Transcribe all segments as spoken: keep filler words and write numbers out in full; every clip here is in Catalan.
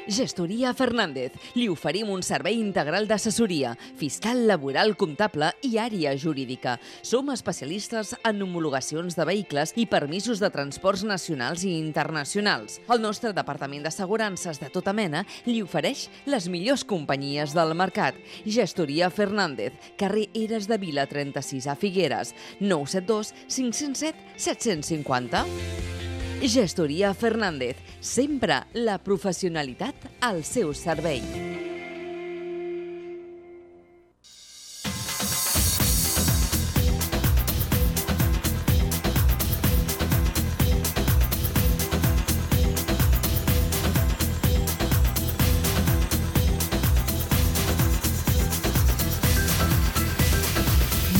Gestoria Fernández. Li oferim un servei integral d'assessoria, fiscal, laboral, comptable i àrea jurídica. Som especialistes en homologacions de vehicles i permisos de transports nacionals i internacionals. El nostre departament d'assegurances de tota mena li ofereix les millors companyies del mercat. Gestoria Fernández, carrer Eres de Vila trenta-sis a Figueres, nou set dos cinc zero set set cinc zero. Gestoria Fernández, sempre la professionalitat al seu servei.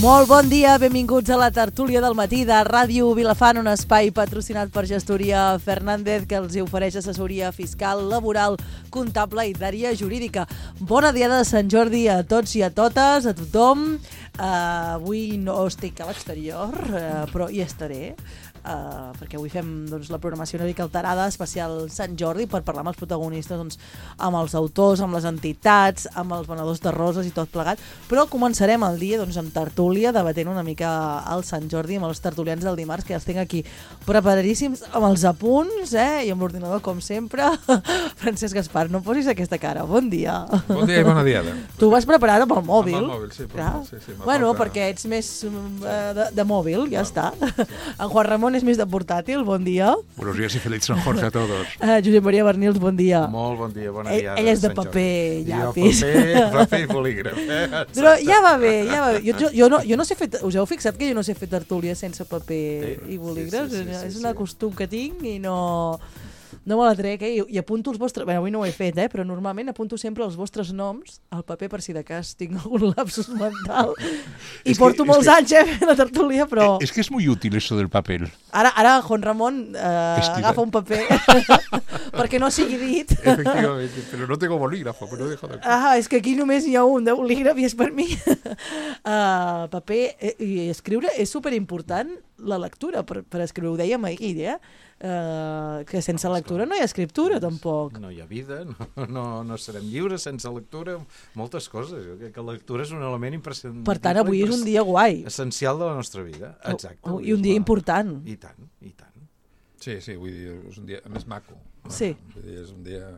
Molt bon dia, benvinguts a la tertúlia del matí de Ràdio Vilafant, un espai patrocinat per Gestoria Fernández que els ofereix assessoria fiscal, laboral, comptable i d'àrea jurídica. Bona diada de Sant Jordi a tots i a totes, a tothom. Uh, avui no estic a l'exterior, uh, però hi estaré. Uh, perquè avui fem doncs, la programació una mica alterada, especial Sant Jordi, per parlar amb els protagonistes, doncs, amb els autors, amb les entitats, amb els venedors de roses i tot plegat, però començarem el dia doncs, amb tertúlia, debatent una mica el Sant Jordi amb els tertulians del dimarts, que els tinc aquí preparadíssims amb els apunts, eh? I amb l'ordinador com sempre. Francesc Gaspar, no posis aquesta cara, bon dia. Bon dia i bona diada. Tu vas preparar amb el mòbil. Amb el mòbil, sí. Ja? Sí, sí, bueno, porta... perquè ets més uh, de, de mòbil, ja està. En Juan Ramon és més de portàtil, bon dia. Buenos días y feliz San Jorge a todos. Uh, Josep Maria Bernils, bon dia. Molt bon dia, bona ell, dia. Ell és de paper, llapis. Jo paper, paper i bolígraf. Eh? Però ja va bé, ja va bé. Jo, jo, jo, no, jo no sé fer, us heu fixat que jo no sé fer tertúlia sense paper sí, i bolígraf? Sí, sí, sí, sí, és un sí. costum que tinc i no... No me la trec, eh? I, i apunto els vostres... Bé, avui no ho he fet, eh? Però normalment apunto sempre els vostres noms al paper per si de cas tinc algun lapsus mental. I es porto que, molts que, anys, eh? Fent la tertúlia, però... Es que es muy útil eso del papel. Ara, ara Juan Ramon eh, agafa un paper perquè no sigui dit. Efectivamente, però no tengo bolígrafo, però dejo de... Ah, és que aquí només hi ha un de bolígraf i és per mi. uh, paper eh, i escriure és superimportant, la lectura, per, per escriure, ho dèiem ahir, eh? Uh, que sense lectura no hi ha escriptura, tampoc. No hi ha vida, no, no, no serem lliures sense lectura, moltes coses. Jo crec que la lectura és un element imprescindible. Per tant, avui és un dia guai. Essencial de la nostra vida, exacte. Oh, oh, I un dia la... important. I tant, i tant. Sí, sí, vull dir, és un dia més maco. Sí. Vull dir, és un dia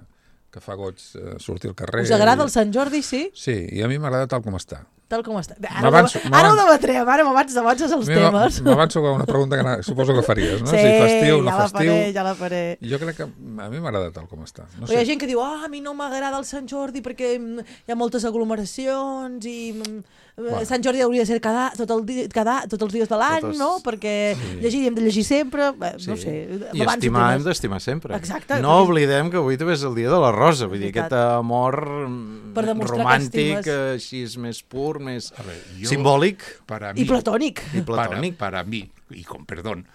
que fa goig uh, sortir al carrer. Us agrada i... el Sant Jordi, sí? Sí, i a mi m'agrada tal com està. Tal com està. Ara, ara ho debatrem, ara m'abans d'avances els temes. M'avanço a una pregunta que suposo que faries, no? Sí, si festiu, no ja la festiu. faré, ja la faré. Jo crec que a mi m'agrada tal com està. No sé. Hi ha sé. gent que diu, ah, a mi no m'agrada el Sant Jordi perquè hi ha moltes aglomeracions i... Bueno. Sant Jordi hauria de ser cada, tot, el dia, cada, tots els dies de l'any, Totes... no? Perquè sí. llegir hem de llegir sempre, Bé, sí. no sé. I estimar hem d'estimar sempre. Exacte. No oblidem que avui també és el dia de la rosa, vull dir, aquest amor romàntic, així és més pur, més veure, jo, simbòlic para mí, y platónic. Y platónic. Para, para mí, y con perdón,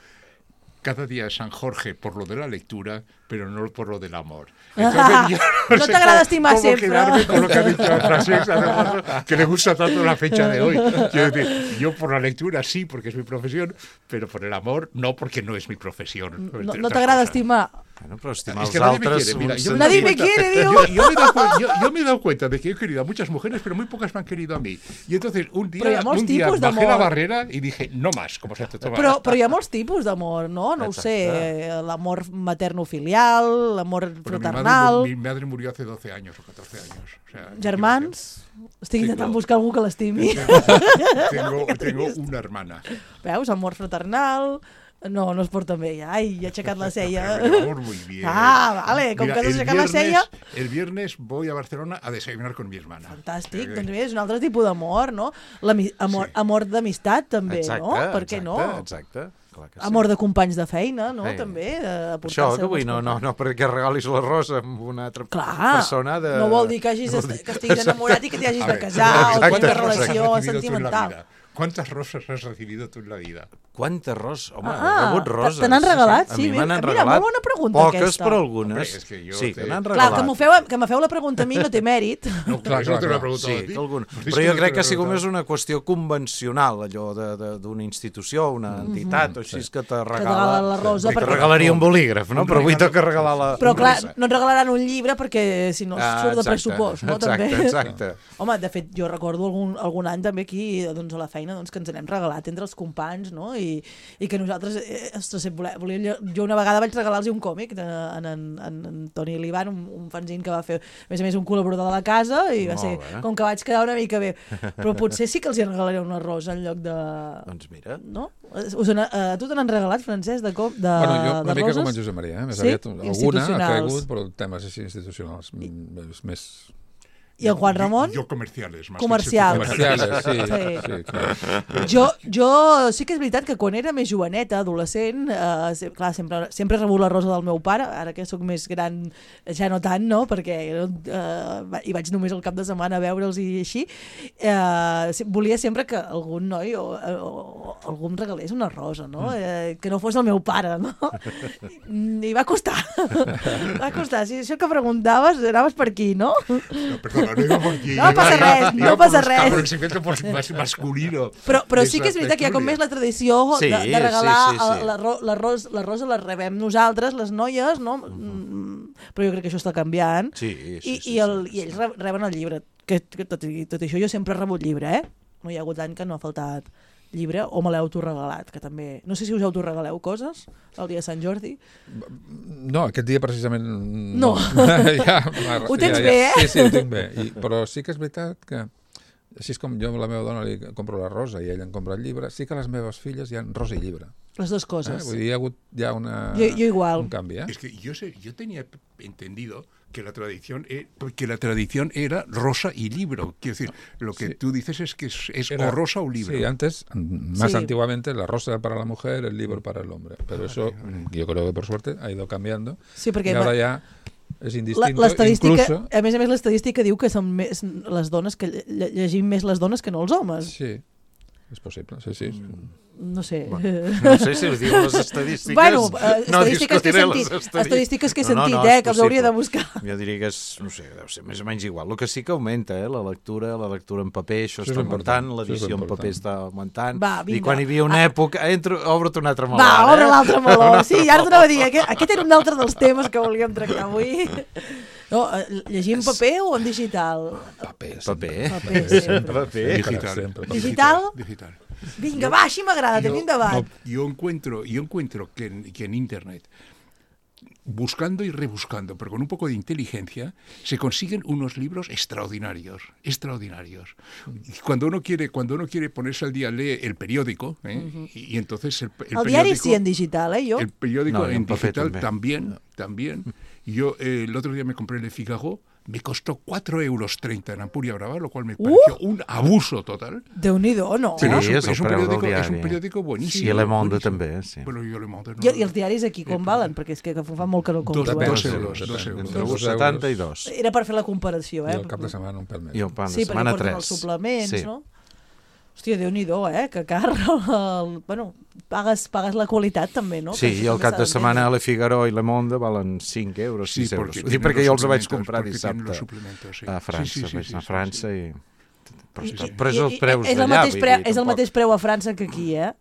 cada día es San Jorge por lo de la lectura, pero no por lo del amor. Entonces, no, no te agrada estimar cómo siempre. Quedarme con lo que ha dicho Francesc, que le gusta tanto la fecha de hoy. Quiero decir, yo por la lectura sí, porque es mi profesión, pero por el amor no, porque no es mi profesión. No, no te agrada estimar. Bueno, pero estimar es que los nadie altres... Me quiere, mira, yo nadie me cuenta, quiere, digo. Yo, yo, me dado, yo, yo me he dado cuenta de que he querido a muchas mujeres, pero muy pocas me han querido a mí. Y entonces un día, un día bajé la barrera y dije, no más, como se te toma. Però, però hi ha molts tipus d'amor, no? No ho sé, l'amor materno-filial, l'amor fraternal... Mi madre, mi madre murió hace doce años o catorce años. O sea, germans? Estic intentant buscar algú que l'estimi. Tengo, tengo una hermana. Veus, amor fraternal... No, no es porta bé. Ai, he aixecat la cella. Vamos muy bien. Ah, vale, com Mira, que has aixecat la sella... El viernes voy a Barcelona a desayunar con mi hermana. Fantàstic, eh, doncs bé, és un altre tipus d'amor, no? Amor, sí. amor d'amistat, també, exacte, no? Per què exacte, no? Exacte, clar que sí. Amor de companys de feina, no? Sí. També, això, que vull, no, no, no perquè regalis la rosa amb una altra clar, persona de... no vol dir que, hagis de, que estiguis enamorat i que t'hi hagis de casar o que relació sentimental. ¿Cuántas rosas has recibido tú en la vida? Quantes roses? Home, Ah, he rebut roses. te n'han regalat? A Sí, mi me n'han mira, regalat. molt bona pregunta, Poques, aquesta. però algunes. Hombre, és que jo sí, te- que n'han Clar, regalat. que me feu, que me feu la pregunta a mi no té mèrit. No, Clar, clar, clar, no te lo he clar. preguntado Sí, a ti. que algun... Pues Però es jo no crec te que ha lo he sigut preguntado. més una qüestió convencional, allò de- de- d'una institució, una entitat, o així és que te te regala... regala la rosa. Sí, te perquè... regalaria un bolígraf, no? Un Però avui regalo. toca regalar la... Però clar, rosa. no et regalaran un llibre perquè si no Ah, surt de exacte, pressupost, no? exacte, també. exacte. Home, de fet, jo recordo algun, algun any també aquí doncs, a la feina doncs, que ens n'hem regalat entre els companys, no? I, i que nosaltres, eh, ostres, volia, volia, jo una vegada vaig regalar-los un còmic de, en, en, en, en Toni Liban, un, un fanzine que va fer, a més a més, un col·laborador de la casa, i va Molt ser, bé. com que vaig quedar una mica bé. Però potser sí que els hi regalaré una rosa en lloc de... Doncs mira. No? Us en, a tu te n'han regalat, Francesc, de, com, de, Bueno, jo una de mica roses? com en Josep Maria, eh? Més Sí? aviat alguna ha Institucionals. caigut, però temes així institucionals, més... més... I en Juan Ramon? Yo, yo comerciales. Más Comercials. Comerciales, sí, Sí. sí, clar. Jo, jo sí que és veritat que quan era més joveneta, adolescent, eh, se- clar, sempre, sempre he rebut la rosa del meu pare, ara que sóc més gran ja no tant, no? Perquè eh, hi vaig només el cap de setmana a veure'ls i així. Eh, se- volia sempre que algun noi o, o, o algú em regalés una rosa, no? Eh, que no fos el meu pare, no? I va costar. Va costar. Si això que preguntaves, anaves per aquí, no? No, perdona, no iba por aquí. No iba- pasa iba- res, iba no por pasa buscar res. por el segmento por- más masculino. Però, però de sí que és esa veritat que hi ha com tertúlia. més la tradició Sí, de, de sí, regalar sí, sí. a- la, ro, la, ros, la rosa la rebem nosaltres, les noies, no? Mm, però jo crec que això està canviant. Sí, sí, I, sí, i, el, sí, I ells re- reben el llibre. Que, que tot, i tot això jo sempre he rebut llibre, eh? No hi ha hagut any que no ha faltat llibre, o me l'heu autoregalat, que també... No sé si us autoregaleu coses el dia de Sant Jordi. No, aquest dia precisament... No. ja, Ho tens ja, ja. bé, eh? Sí, sí, ho tinc bé. I, però sí que és veritat que, així és com jo a la meva dona li compro la rosa i ella em compra el llibre, sí que a les meves filles hi ha rosa i llibre. Les dues Eh? coses. Vull dir, hi ha hagut ja una, Jo, jo igual. un canvi, eh? Es que yo, sé, yo tenía entendido que la tradición e- que la tradición era rosa y libro. Quiero decir, lo que Sí. tú dices es que es, es Era- o rosa o libro. Sí, antes, más Sí. antiguamente, la rosa para la mujer, el libro para el hombre. Pero eso, yo creo que por suerte, ha ido cambiando. Sí, perquè Y ahora va- ya es La- indistinto. l'estadística, Incluso, a més a més, l'estadística diu que són més les dones que lle- lle- llegim més les dones que no els homes. sí, es posible, sí, sí. No sé. No sé si ho diuen les estadístiques. Bueno, eh, no estadístiques que he discutiré les sentit, estadístiques. estadístiques que he No, no, sentit, no, eh, és que els hauria de possible. buscar. Jo diria que és, no sé, deu ser més o menys igual. El que sí que augmenta, eh, la lectura, la lectura en paper, això Això és està important, augmentant, això és l'edició en important. paper està augmentant. Va, vinga. I quan hi havia una Ah. època... Entro, obre't un altre meló. Va, ara, obre eh? l'altre meló. Sí, ara t'anava a dir, aquest, aquest era un altre dels temes que volíem tractar avui. No, eh, llegir en paper o en digital? Paper, Paper, eh? Paper, sempre. Paper. Digital. Sempre. Digital? Digital. Vinga, va, així m'agrada, tenim debat. no, yo encuentro, yo encuentro que en, que en Internet, buscando y rebuscando, pero con un poco de inteligencia, se consiguen unos libros extraordinarios, extraordinarios. Y cuando uno quiere, cuando uno quiere ponerse al día, lee el periódico, ¿eh? y, y entonces el, el, El diari periódico, sí en digital, eh, jo? el periódico No, y en en papel digital también. también, también. Y yo eh, el otro día me compré el Le Figaro, me costó cuatro euros treinta en Ampuria Brava, lo cual me pareció un abuso total. Déu-n'hi-do, no? Sí, Pero es, un, és el es un preu del periódico, es un diari. periódico buenísimo. I a Le Monde buenísimo. també, eh, sí. Bueno, yo Le Monde no. I, I els diaris aquí com valen? Perquè és que, que fa molt que no compro. Dos- eh? dos Depèn, euros, depèn, dos depèn. euros. Entre Entre dos setanta i euros dos. Era per fer la comparació, i eh? el cap de setmana un pèl més. I el pan de Sí, perquè setmana porten tres. els suplements, Sí. no? Hòstia, Déu-n'hi-do, eh? Que car. El... Bueno, pagues, pagues la qualitat també, no? Sí, Que això i el també cap s'ha de d'entendre. setmana Le Figaro i Le Monde valen cinc euros, Sí, sis euros. porque Ho dic tienen perquè los jo els vaig suplementos, comprar porque tienen los dissabte suplementos, sí. a França, Sí, sí, sí, vaig sí, anar a sí, França sí. i... Però, I- està- i- però és i- els preus és el d'allà, mateix vull preu, dir, És el tampoc. mateix preu a França que aquí, eh?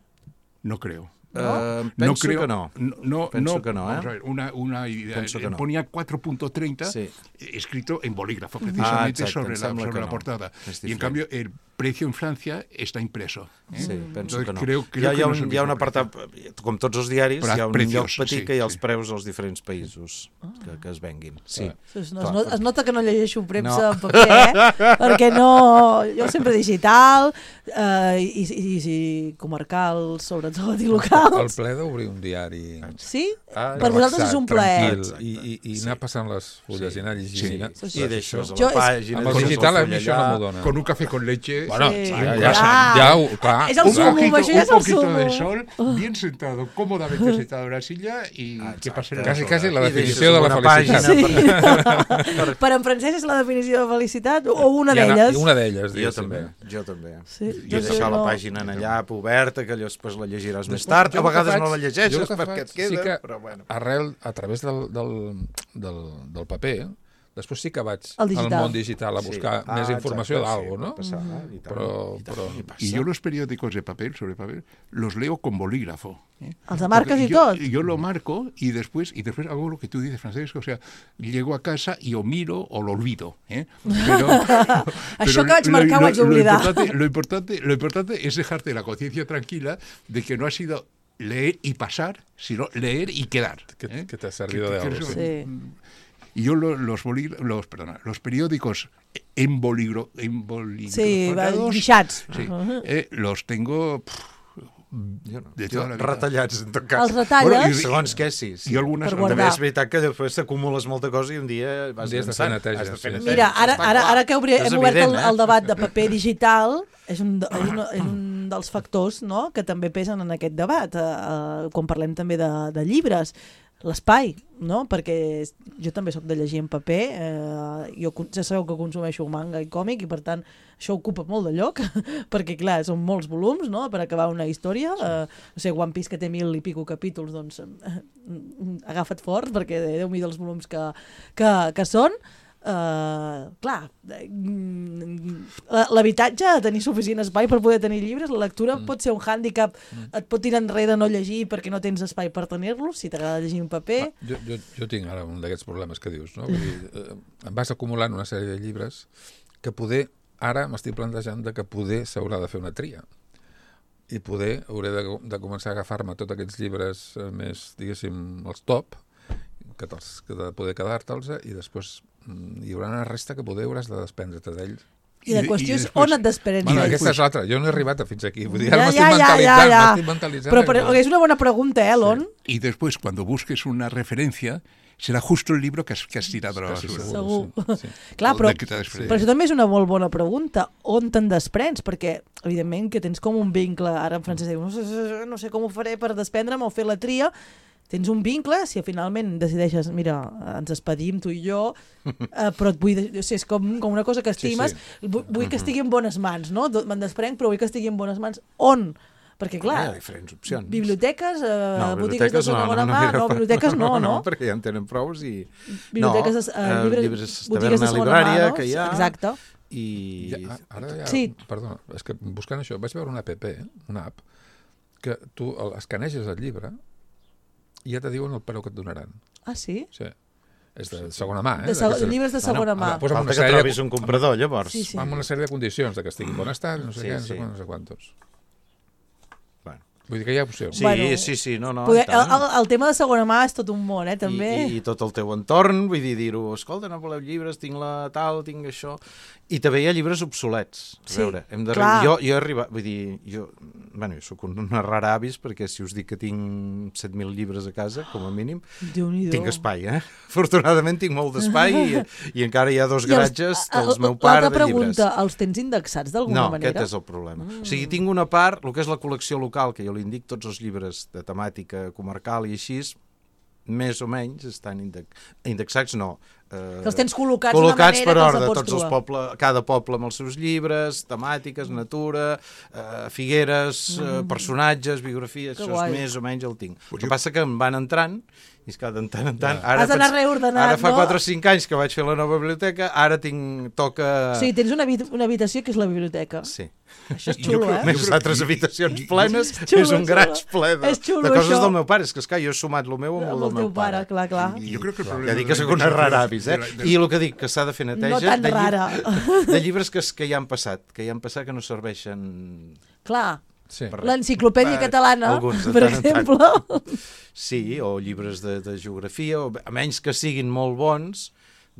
No creo. Eh, No penso creo, que no. No, no, Penso no, que no, vamos eh? a ver, una, una idea. Penso que eh, no. Ponía cuatro punto treinta Sí. eh, escrito en bolígrafo, Ah, precisamente exacte, sobre, em la, sembla sobre que la no. portada. És Y en diferent. cambio, el precio en Francia está impreso. ¿eh? Sí, penso Entonces, que no. creo- creo hi ha, que hi ha no és un, el hi ha un mismo apartat, com tots els diaris, Però hi ha un precios, lloc petit sí, que hi ha els sí. preus dels diferents països que, que es venguin. Sí. Es, no, Clar, es, not, perquè- es nota que no llegeixo premsa No. en paper, eh? Perquè no... Jo sempre digital, eh, i, i, i comarcal, sobretot, i El locals. ple d'obrir un diari Sí? Ah, Per vosaltres és un plaer. tranquil, i, i, i anar passant les fulles Sí. i anar llegint. Sí. Sí, I deixes a Jo la és- pàgina... Amb el poses digital a full mi això allà. no m'ho dona. Con un café con leche. Bueno, sí. ja, ja, Clar. ja, ho- clar. És el Un sumo, poquito, això ja un és el poquito sumo. de sol, bien sentado, cómodamente sentado en la silla y que pasen las Quasi, quasi horas. la I deixes definició de la una felicitat. pàgina Sí. per- Per en Francesc és la definició de felicitat o una I ana- d'elles? i Una d'elles, Jo diguéssim. també, jo també. Sí, Jo he jo deixat la no. pàgina en allà oberta, que allò després la llegiràs més Després, tard. jo A el que vegades faig- no la jo llegeixes el que perquè faig et queda, sí que però bueno. arrel, a través del, del, del, del paper, després sí que vaig Al digital. al món digital a buscar Sí. més Ah, informació exacte, d'algo, sí, no? pot passar, i tant, Però, i tant, però... i passa. Y yo los periódicos de papel, sobre papel, los leo con bolígrafo. ¿eh? Els de marques Porque i yo, tot? Yo lo marco y después, y después hago lo que tú dices, Francesco. O sea, llego a casa y o miro o lo olvido. ¿eh? Pero, Això que vaig lo- marcar ho lo- vaig oblidar. Lo importante, lo, importante, lo importante es dejarte la conciencia tranquila de que no ha sido leer y pasar, sino leer y quedar. Que, ¿eh? que t'ha servido Que- de que algo. eso- Sí. Sí. Y yo lo- los, bolí- los, perdona, los periódicos en boligro, en Sí, boligrafados, guixats. sí, eh, los tengo pff, Jo no. de Jo, toda la vida. retallats, en tot cas. Els retalles? Bueno, i- Segons què, sí. sí. I algunes Per També guardar. és veritat que després t'acumules molta cosa i un dia vas Un dia has de fer avançant. neteja, Has de fer sí. neteja. Mira, ara, Està ara, clar. ara que obri, És hem obert el, evident, eh? el debat de paper digital, és un, de- és un, és un dels factors, no?, que també pesen en aquest debat, eh, eh, quan parlem també de, de llibres. L'espai, no? Perquè jo també sóc de llegir en paper, eh, jo con- ja sabeu que consumeixo manga i còmic i per tant això ocupa molt de lloc perquè clar, són molts volums, no?, per acabar una història, eh, no sé, One Piece que té mil i pico capítols, doncs eh, agafa't fort perquè Déu-m'hi dels volums que, que, que són. Uh, clar, l'habitatge, tenir suficient espai per poder tenir llibres, la lectura mm. pot ser un hàndicap, mm. et pot tirar enrere no llegir perquè no tens espai per tenir-los, si t'agrada llegir en paper. Jo, jo, jo tinc ara un d'aquests problemes que dius, no? Vull dir, eh, em vas acumulant una sèrie de llibres que poder, ara m'estic plantejant de que poder s'haurà de fer una tria i poder hauré de, de començar a agafar-me tots aquests llibres eh, més, diguéssim, els top, que, que de poder quedar-te'ls i després mm, hi haurà una resta que poder hauràs de desprendre't d'ells. I la qüestió és després- on et desprens Bueno, d'ells. aquesta és l'altra. Jo no he arribat a fins aquí. Vull dir, Ja, ara m'estic ja, ja, mentalitzant, ja, ja. m'estic mentalitzant. Però, però és una bona pregunta, eh, Elon? Y después, cuando busques una referencia, será justo el libro que has, que has tirado a la Casi basura. Segur. Sí, sí. Clar, però, Del que t'ha desprès. però això també és una molt bona pregunta. On te'n desprens? Perquè, evidentment, que tens com un vincle. Ara en francès diu, no sé, no sé com ho faré per desprendre'm o fer la tria. Tens un vincle, si finalment decideixes, mira, ens despedim tu i jo, eh, però et vull, de- o sigui, és com, com una cosa que estimes, Sí, vull, vull que estigui en bones mans, no? Me'n desprenc, però vull que estigui en bones mans. On? Perquè, Hi clar, ha diferents opcions. biblioteques, eh, No, botigues de biblioteques no, segona no, no, mà, mira, no, biblioteques no, no? No, perquè ja en tenen prous i... Biblioteques, no, eh, llibres, llibres, botigues de taverna segona mà, librària, no? que hi ha, Exacte. i... Ja, ara ja, Sí. Perdona, és que buscant això vaig veure una app, una app, que tu el- escaneges el llibre i ja te diuen el preu que et donaran. Ah, sí? O sigui, és de segona mà, eh? De seg D'aquesta- llibres de segona mà. ara, pues amb Falta una que sèrie de- trobis un comprador, llavors. Sí, sí. amb una sèrie de condicions, de que estigui en bon estat, no sé Sí, què, no sé sí. quants, no sé quantos. Bueno. Vull dir que hi ha opcions. Sí, Bueno, sí, sí, no, no. Poder, i tant. el, el, el tema de segona mà és tot un món, eh, també. I, i, i tot el teu entorn, vull dir, dir-ho, escolta, no voleu llibres, tinc la tal, tinc això... I també hi ha llibres obsolets. A Sí, veure, hem de... clar. Jo, jo he arribat, vull dir, jo, bueno, jo soc una rara avis, perquè si us dic que tinc set mil llibres a casa, com a mínim, Déu-n'hi-do. tinc espai, eh? Afortunadament tinc molt d'espai i, i encara hi ha dos I els- garatges a- a- dels meu pare L'altra de llibres. pregunta, els tens indexats d'alguna No, manera? aquest és el problema. Mm. O sigui, tinc una part, el que és la col·lecció local, que jo li indico tots els llibres de temàtica comarcal i així, més o menys estan index... indexats, no. Eh, Que els tens col·locats col·locats d'una per manera que els ordre, pots tots els trobar. poble, cada poble amb els seus llibres, temàtiques, natura, eh, figueres, eh, personatges, biografies, Que això guai. és més o menys el tinc. El que passa que em van entrant i és que de tant en tant... Ja. Ara Has d'anar faig- reordenant, Ara fa no? quatre o cinc anys que vaig fer la nova biblioteca, ara tinc... toca... O sigui, tens una, habit una habitació que és la biblioteca. Sí. Això és Jo xulo, crec- eh? Més altres habitacions plenes, Xulo, és un graig xulo. ple de, És xulo, de coses això. del meu pare. És que, esclar, jo he sumat el meu amb el Amb del el meu teu pare, clar, clar. Y yo creo que el problema Ja dic de que la sóc una indexación rara avis, eh? de la- de- I el que dic, que s'ha de fer neteja... No tan de, lli- rara. de llibres que, es- que ja han passat, que ja han passat que no serveixen... Clar, Sí. per res. l'enciclopèdia Va, catalana, alguns, de per tant en tant. exemple. Sí, o llibres de, de geografia, o, a menys que siguin molt bons,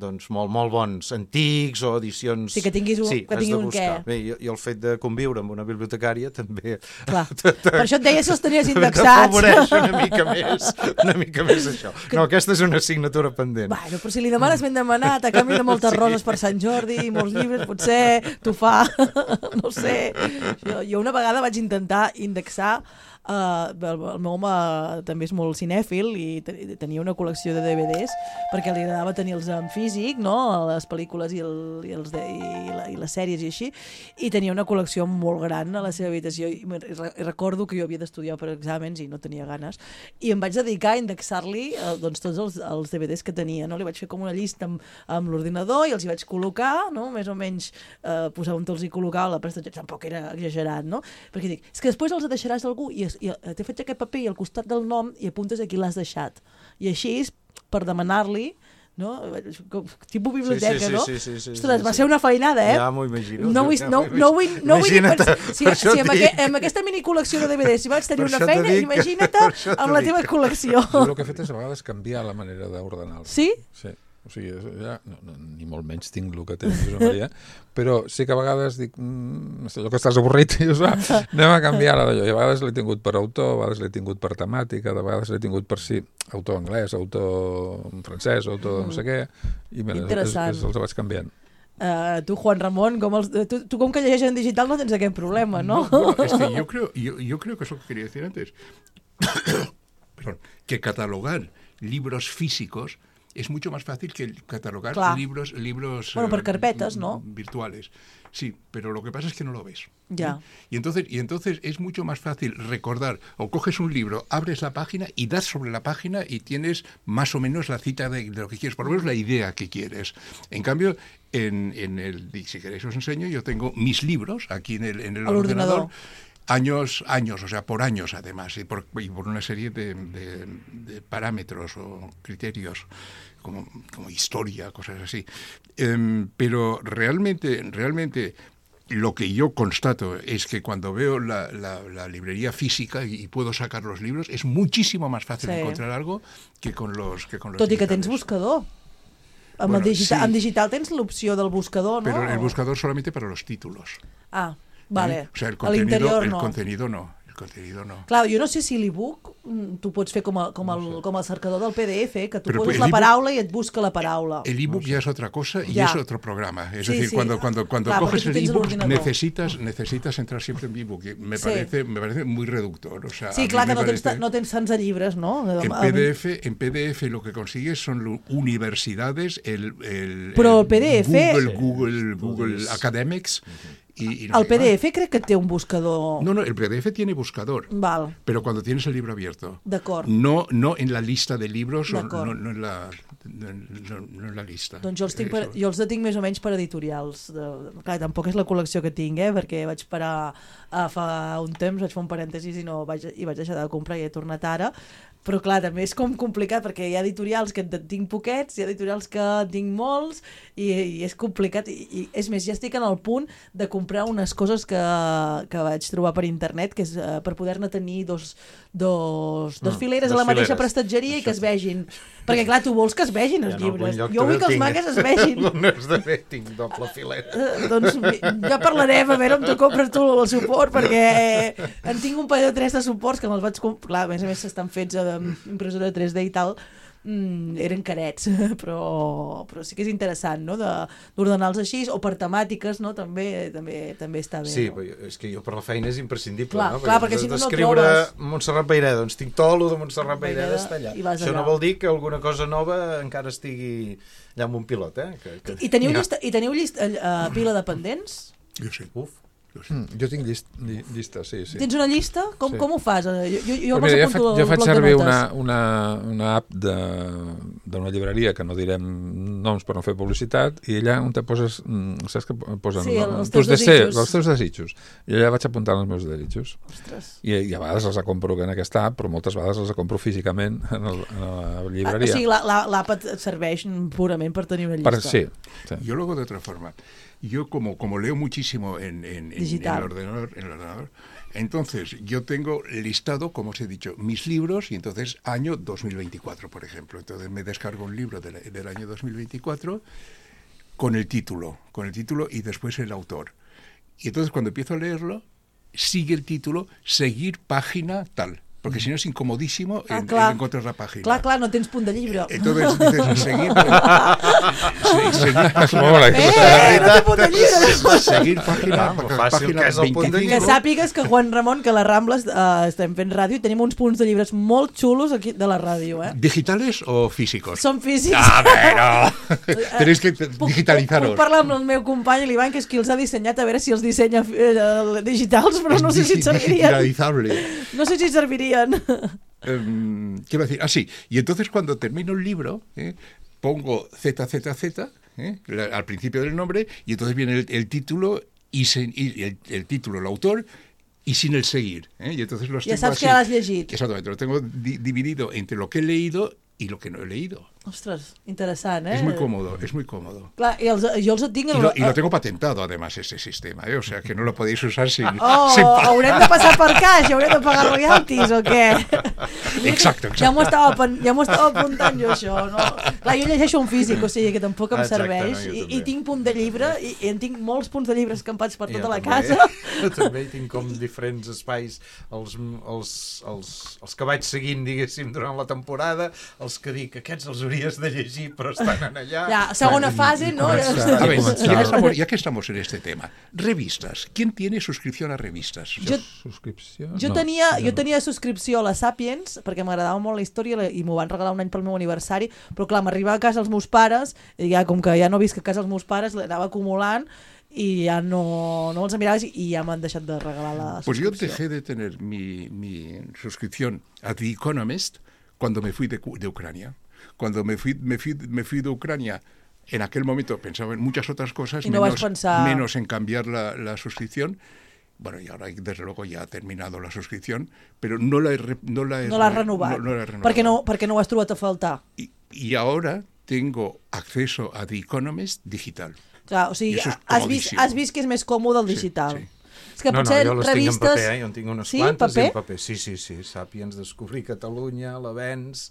doncs molt, molt bons, antics o edicions... Sí, que tinguis un, sí, que tingui un què. Bé, i, i el fet de conviure amb una bibliotecària també... Clar. Per això et deia si els tenies indexats. T'afavoreix una mica més, una mica més això. No, aquesta és una assignatura pendent. Bueno, però si li demanes ben demanat, a canvi de moltes sí. roses per Sant Jordi i molts llibres, potser t'ho fa, no sé. Jo, jo una vegada vaig intentar indexar. Uh, el, el meu home també és molt cinèfil i tenia una col·lecció de D V Ds perquè li agradava tenir-los en físic, no? Les pel·lícules i, el, i, els de, i, la, i les sèries i així, i tenia una col·lecció molt gran a la seva habitació i, i recordo que jo havia d'estudiar per exàmens i no tenia ganes i em vaig dedicar a indexar-li uh, doncs, tots els, els D V Ds que tenia, no? Li vaig fer com una llista amb, amb l'ordinador i els hi vaig col·locar, no? Més o menys uh, posar on te'ls hi col·locava, la prestatge tampoc era exagerat, no? Perquè dic, és que després els deixaràs a algú i i t'he fet aquest paper i al costat del nom i apuntes a qui l'has deixat. I així, per demanar-li, no? Tipus biblioteca, sí, sí, no? sí, sí, sí, sí, Ostres, sí, va ser una feinada, eh? Ja m'ho imagino. No vull, no, no vull, no vull dir... Per, si, si amb, aqu amb aquesta minicol·lecció de D V Ds si vaig tenir una feina, dic, imagina't amb la teva col·lecció. Jo el que he fet és a vegades canviar la manera d'ordenar-lo. Sí? Sí. O sigui, ja, no, no, ni molt menys tinc el que té Josep Maria, però sí que a vegades dic, mmm, allò que estàs avorrit, i dius, ah, anem a canviar-la d'allò. I a vegades l'he tingut per autor, a vegades l'he tingut per temàtica, a vegades l'he tingut per sí, autor anglès, autor francès, autor no sé què, i mira, és, és, els vaig canviant. Uh, tu, Juan Ramon, com els, tu, tu com que llegeixes en digital no tens aquest problema, ¿no? No, bueno, es que yo creo, yo, yo creo que es lo que quería decir antes, perdón, que catalogar libros físicos es mucho más fácil que catalogar Clar. libros libros bueno, por carpetas, ¿no? virtuales. Sí, pero lo que pasa es que no lo ves. Ya. ¿Sí? Y entonces y entonces es mucho más fácil recordar, o coges un libro, abres la página y das sobre la página y tienes más o menos la cita de, de lo que quieres, por lo menos la idea que quieres. En cambio, en, en el, si queréis os enseño, yo tengo mis libros aquí en el, en el ordenador. ordenador. Años, años, o sea, por años además, y por, y por una serie de, de, de parámetros o criterios, como, como historia, cosas así. Eh, pero realmente, realmente lo que yo constato es que cuando veo la, la, la librería física y, y puedo sacar los libros, es muchísimo más fácil sí. encontrar algo que con los que con los Tot digitales. I que tens buscador. Amb, bueno, digita sí. en digital tens l'opció del buscador, ¿no? Pero el buscador solamente para los títulos. Ah, vale. ¿Eh? O sea, el a contenido, el no. contenido no. El contenido no. Clar, jo no sé si l'e-book tu pots fer com, a, com, el, com el cercador del P D F, que tu Pero poses la paraula i et busca la paraula. El ebook no sé. ya es otra cosa y ya. es otro programa. Es sí, decir, sí. cuando, cuando, cuando Clar, coges el ebook necesitas, sí. necesitas entrar siempre en ebook. Me, sí. parece, me parece muy reductor. O sea, sí, clar que no, parece... tens, no tens tants de llibres, no? En P D F, en P D F lo que consigues son universidades, el, el, Però el P D F... Google, Google, Google Academics... Y, y no el P D F más. Crec que té un buscador. No, no, el P D F tiene buscador. Val. Pero cuando tienes el libro abierto. D'acord. No, no en la lista de libros, o no, no, en la, no, no en la lista. Doncs jo els, tinc per, jo els tinc més o menys per editorials. De, clar, tampoc és la col·lecció que tinc, eh, perquè vaig parar a fa un temps, vaig fer un parèntesis i, no vaig, i vaig deixar de comprar i he tornat ara. Però clar, també és com complicat perquè hi ha editorials que en tinc poquets, hi ha editorials que en tinc molts i, i és complicat i, i és més, ja estic en el punt de comprar unes coses que, que vaig trobar per internet que és uh, per poder-ne tenir dos, dos, dos fileres mm, a la mateixa fileres. prestatgeria i que es vegin, perquè clar, tu vols que es vegin els ja llibres, jo vull que els mangas es vegin. No és de bé, tinc doble filera. Uh, doncs ja parlarem a veure on tu compres tu el suport, perquè eh, en tinc un parell de tres de suports que me'ls vaig comprar, clar, a més a més estan fets a impressora tres D i tal, mm, eren carets, però, però sí que és interessant, no?, d'ordenar-los així, o per temàtiques, no?, també també, també està bé. Sí, no? És que jo per la feina és imprescindible, clar, no? Clar, perquè, perquè si no no trobes... D'escriure Montserrat Baireda, doncs tinc tot lo de Montserrat Baireda està allà. Això no vol dir que alguna cosa nova encara estigui allà amb un pilot, eh? Que, que... I teniu, llista, i teniu llista, uh, pila de pendents? Jo sí. Uf. Jo, sí. mm, jo tinc llist, lli, llista, sí, sí. Tens una llista? Com, sí. com ho fas? Jo, jo, jo, mira, jo, faig, jo faig servir una, una, una app d'una llibreria, que no direm noms per no fer publicitat, i allà on te poses, saps que posen sí, no, els, teus desitjos. els teus desitjos. I allà vaig apuntant els meus desitjos. Ostres. I, I a vegades els compro en aquesta app, però moltes vegades els compro físicament en, el, en la llibreria. Ah, o sigui, l'app et serveix purament per tenir una llista. Per, sí, sí. Jo lo hago de otra forma. Yo como, como leo muchísimo en, en, digital. en el ordenador, en el ordenador. Entonces, yo tengo listado, como os he dicho, mis libros, y entonces año dos mil veinticuatro, por ejemplo. Entonces me descargo un libro del, del año dos mil veinticuatro con el título, con el título y después el autor. Y entonces cuando empiezo a leerlo, sigue el título, seguir página tal. Porque si no és incomodísimo ah, en, clar. en encontrar la pàgina. Clar, clar, no tens punt de llibre. Entonces dices, seguir... seguir, seguir Molt bé. Eh, no té punt de llibre. seguir pàgina, Ah, fàcil pàgina que és el punt de Que veinticinco. sàpigues que Juan Ramon, que a les Rambles eh, estem fent ràdio i tenim uns punts de llibres molt xulos aquí de la ràdio, eh? ¿Digitales o físicos? Són físics. A ver, no. Tenéis que Puc, digitalizaros. puc parlar amb el meu company, l'Ivan, que és qui els ha dissenyat, a veure si els dissenya eh, digitals, però no sé si et servirien. Digitalizable. No sé si et servirien. Um, ¿Qué iba a decir? Ah, sí. Y entonces cuando termino el libro, ¿eh? pongo Z Z Z ¿eh? La, al principio del nombre, y entonces viene el, el título y, se, y el, el título, el autor, y sin el seguir. ¿eh? Y entonces los Ja tengo saps así. que l'has llegit. Exactamente, lo tengo di dividido entre lo que he leído y lo que no he leído. Ostres, interessant, eh? Es muy cómodo, es muy cómodo. Clar, i els, jo els tinc... Y lo, y lo tengo patentado, además, ese sistema, ¿eh? O sea, que no lo podéis usar sin... Oh, sin pa- haurem de passar per caix, haurem de pagar royalties o què? Exacto, exacto. Ja m'ho estava, pen- ja m'ho estava apuntant jo, això, no? Clar, jo llegeixo un físic, o sigui que tampoc em Exacte, serveix, no, jo i, també. i tinc punt de llibre, i, i en tinc molts punts de llibre escampats per tota Jo la també. casa. Jo també tinc com diferents espais, els, els, els, els que vaig seguint, diguéssim, durant la temporada, els que dic, aquests els hauries de llegir, però estan en allà. Ja, segona fase, no? A ver, Comenzar. ya que, estamos, ya que estamos en este tema, revistas. ¿Quién tiene suscripción a revistas? Jo, Subscripció? jo, No, tenia, jo jo no. tenia subscripció a la Sapiens, perquè m'agradava molt la història i m'ho van regalar un any pel meu aniversari, però clar, m'arribava a casa els meus pares, i ja, com que ja no visc a casa els meus pares, l'anava acumulant, i ja no, no els miraves i ja m'han deixat de regalar la Pues yo subscripció. dejé de tener mi, mi suscripción a The Economist cuando me fui de, Cu- de Ucrania. Cuando me fui, me, fui, me fui de Ucrania, en aquel momento pensaba en muchas otras cosas, Y no vas menos, a pensar- menos en cambiar la, la suscripción. Bueno, y ahora desde luego ya ha terminado la suscripción, pero no la he, re- no la he, No l'has re- renovat, no- no la he renovado. perquè, no, perquè no ho has trobat a faltar. Y, y ahora tengo acceso a The Economist digital. Clar, o sigui, I això és has vist, comodíssim. has vist que és més còmode el Sí, digital. sí. És que No, no, potser jo les revistes... tinc en paper, eh? Jo en tinc unes Sí, quantes paper? i en paper. Sí, sí, sí. Sàpiens, Descobrir Catalunya, l'Avenç,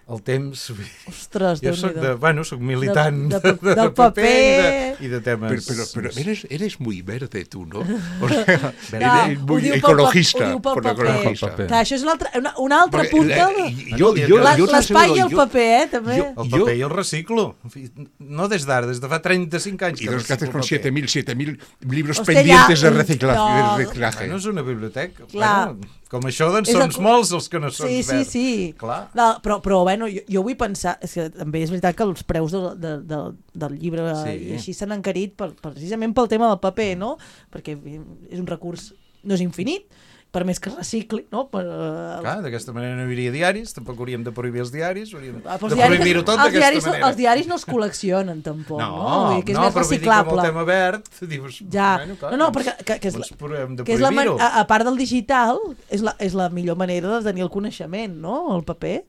el temps... Ostres, Jo soc Déu-n'hi-do. de, bueno, soc militant De- de, de- de, del paper, paper. i de, i de temes... Pero, pero, pero més- eres, eres muy verde tú, ¿no? O sea, Clar, eres ho muy diu pel ecologista. pa- ho diu pel por lo paper. ecologista. Pel paper. Clar, això és una altra, una, una altra Porque punta... la- de- yo, yo, La- yo te L'espai i aseguro, el yo- paper, eh, també. yo- El paper jo el reciclo. En fi, no des d'ara, des de fa trenta-cinc anys. ¿Y que los que haces reciclo con paper. siete mil siete mil libros Hostia, pendientes ya, de, recicla no. de reciclaje? Bueno, és una biblioteca. Clar. Bueno, com això, doncs, És són el- molts els que no són Sí, sí, verds. sí. Clar. No, però, però bueno, jo, jo vull pensar... És que també és veritat que els preus de, de, de, del llibre Sí. i així s'han encarit per, precisament pel tema del paper, no? Perquè és un recurs, no és infinit, per més que es recicli, no? Per, uh, Clar, d'aquesta manera no hi hauria diaris, tampoc hauríem de prohibir els diaris, hauríem Ah, però de els diaris- prohibir-ho tot els d'aquesta diaris, manera. Els diaris no els col·leccionen, tampoc, no? No, Vull dir que és no, més però vull dir que reciclable. amb el tema verd, dius... Ja, bueno, clar, no, no, doncs- perquè que, que és, doncs però hem de que és la man- prohibir-ho. a, a part del digital, és la, és la millor manera de tenir el coneixement, no? El paper.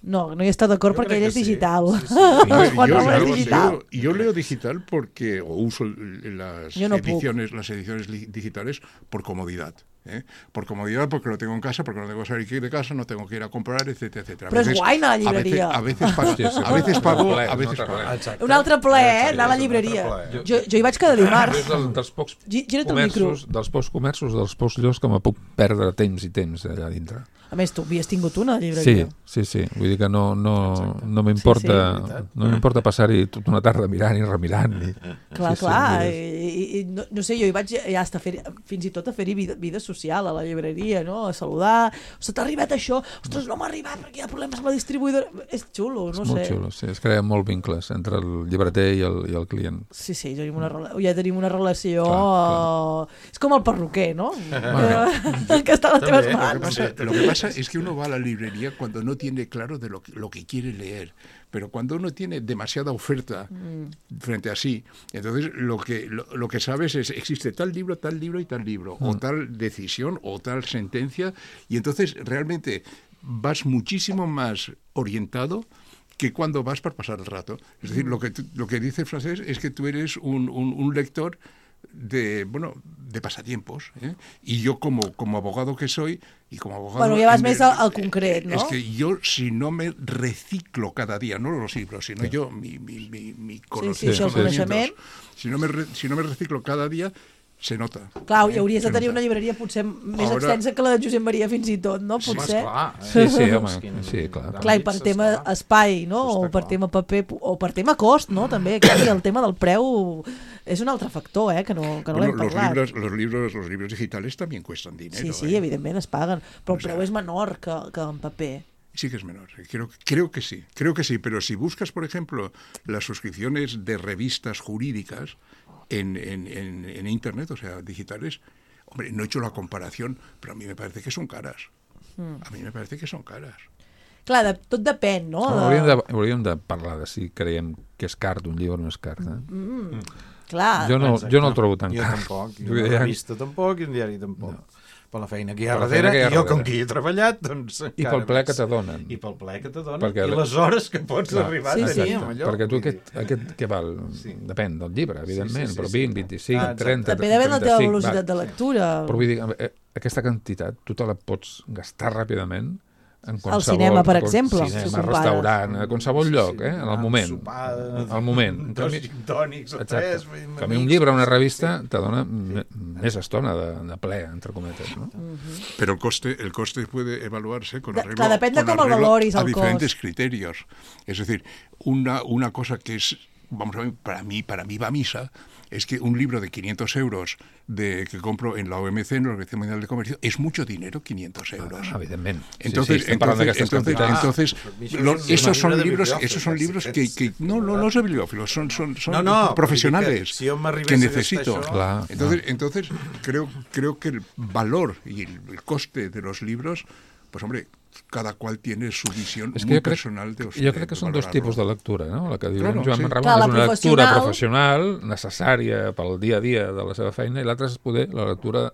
No, no hi està d'acord Jo perquè crec ell és que sí. digital. Sí, sí. Yo, Juan yo- Ramon és yo- digital. yo- yo leo digital porque, o uso las Yo no puc. ediciones, las ediciones li- digitales por comodidad. ¿eh? Por comodidad, porque lo tengo en casa, porque no tengo que salir de casa, no tengo que ir a comprar, etcétera, etcétera. A Però és veces- guai anar a la a veces- llibreria. A veces, pago, Hòstia, sí, a veces pago, un altre a ple, veces un altre pago. ple. Exacte. Un altre ple, eh? Exacte, Anar a la és un llibreria. altre ple. Jo, jo hi vaig cada dimarts. És del, dels pocs Gi- gira't el micro. comerços, dels pocs comerços, dels pocs llocs que me puc perdre temps i temps allà dintre. A més, tu havies tingut una Sí, llibreria. sí, sí. Vull dir que no, no, Exacte. no m'importa Sí, sí. no m'importa passar-hi tota una tarda mirant i remirant. I... Clar, sí, clar. Sí, I, i, i, no, no sé, jo hi vaig ja hasta fer, fins i tot a fer-hi vida, vida social a la llibreria, no? A saludar. Ostres, t'ha arribat això? Ostres, no m'ha arribat perquè hi ha problemes amb la distribuïdora. És xulo, no és molt sé. xulo, sí. Es creen molt vincles entre el llibreter i el, i el client. Sí, sí, ja tenim una, rela- ja tenim una relació... Clar, eh, És com el perruquer, no? Eh, que està a les teves També, Lo que, mans. pasa, lo que pasa es que uno va a la librería cuando no tiene claro de lo que, lo que quiere leer, pero cuando uno tiene demasiada oferta frente a sí, entonces lo que, lo, lo que sabes es existe tal libro, tal libro y tal libro, o tal decisión o tal sentencia, y entonces realmente vas muchísimo más orientado que cuando vas para pasar el rato. Es decir, lo que, tú- lo que dice el francés es que tú eres un, un, un lector de, bueno, de pasatiempos. ¿eh? Y yo como, como abogado que soy, y como abogado... Bueno, ja vas me, més al, al concret, no? Es que yo, si no me reciclo cada día, no los libros, sino sí. yo, mi, mi, mi, mi sí, sí, sí, coneixement. Si no, me re, si no me reciclo cada dia, se nota. Clar, i hauries de tenir una llibreria potser més Ahora... extensa que la de Josep Maria fins i tot, no? Potser. Sí, clar. Sí, sí, home. Sí, clar. Clar, i per tema espai, no? O per tema paper, o per tema cost, no? També, clar, el tema del preu és un altre factor, eh? Que no, que no bueno, l'hem parlat. Los libros, los, libros, los libros digitales también cuestan dinero. Sí, sí, ¿eh? evidentment es paguen, però el o sea, preu és menor que, que en paper. Sí que es menor, creo, creo que sí, creo que sí, pero si buscas, por ejemplo, las suscripciones de revistas jurídicas en, en, en, en Internet, o sea, digitales, hombre, no he hecho la comparación, pero a mí me parece que son caras. Mm. A mí me parece que son caras. Clar, de, tot depèn, no? no hauríem, de, hauríem de parlar de si creiem que és car d'un llibre o no és car. Eh? Mm, mm. Clar. Jo no, jo no el trobo tan jo car. Tampoc, jo una revista tampoc i un diari tampoc. No. Per la feina que hi ha per darrere, que hi ha i jo darrere. com que hi he treballat, doncs... I pel ple que t'adonen. I pel ple que t'adonen, perquè... i les hores que pots clar, arribar sí, a tenir sí. amb allò. Perquè tu aquest, aquest què val? Sí. Depèn del llibre, evidentment, sí, sí, sí, però vint, sí. vint-i-cinc, ah, trenta, També depèn de la teva velocitat va. de lectura. Però vull dir, aquesta quantitat tu te la pots gastar ràpidament en qualsevol... Al cinema, per exemple. Cinema, si restaurant, a qualsevol lloc, eh? En el moment. Sopar, al moment. Dos gintònics o tres. A mi un llibre o una revista te dona més estona de, de ple, entre cometes, ¿no? Uh-huh. Pero el coste, el coste puede evaluarse con arreglo, Clar, depèn de con com el valoris, a el diferentes cost. criterios. Es decir, una, una cosa que es, vamos a ver, para mí, para mí va a misa, es que un libro de quinientos euros de, que compro en la O M C, en la Organización Mundial de Comercio, es mucho dinero, quinientos euros. Ah, evidentment. Entonces, sí, sí, entonces, entonces, ah, entonces lo, esos son libros, esos son libros que, que no, no, no son bibliófilos, son, son, son no, no, profesionales que, si que necesito. Això... Clar, entonces, clar. entonces creo, creo que el valor y el, el coste de los libros, pues hombre, cada cual tiene su visión és que muy jo crec, personal de, jo crec que són dos tipus de lectura, no? La que diu claro, Joan sí. Ramon Clar, és una lectura professional... professional necessària pel dia a dia de la seva feina i l'altra és poder la lectura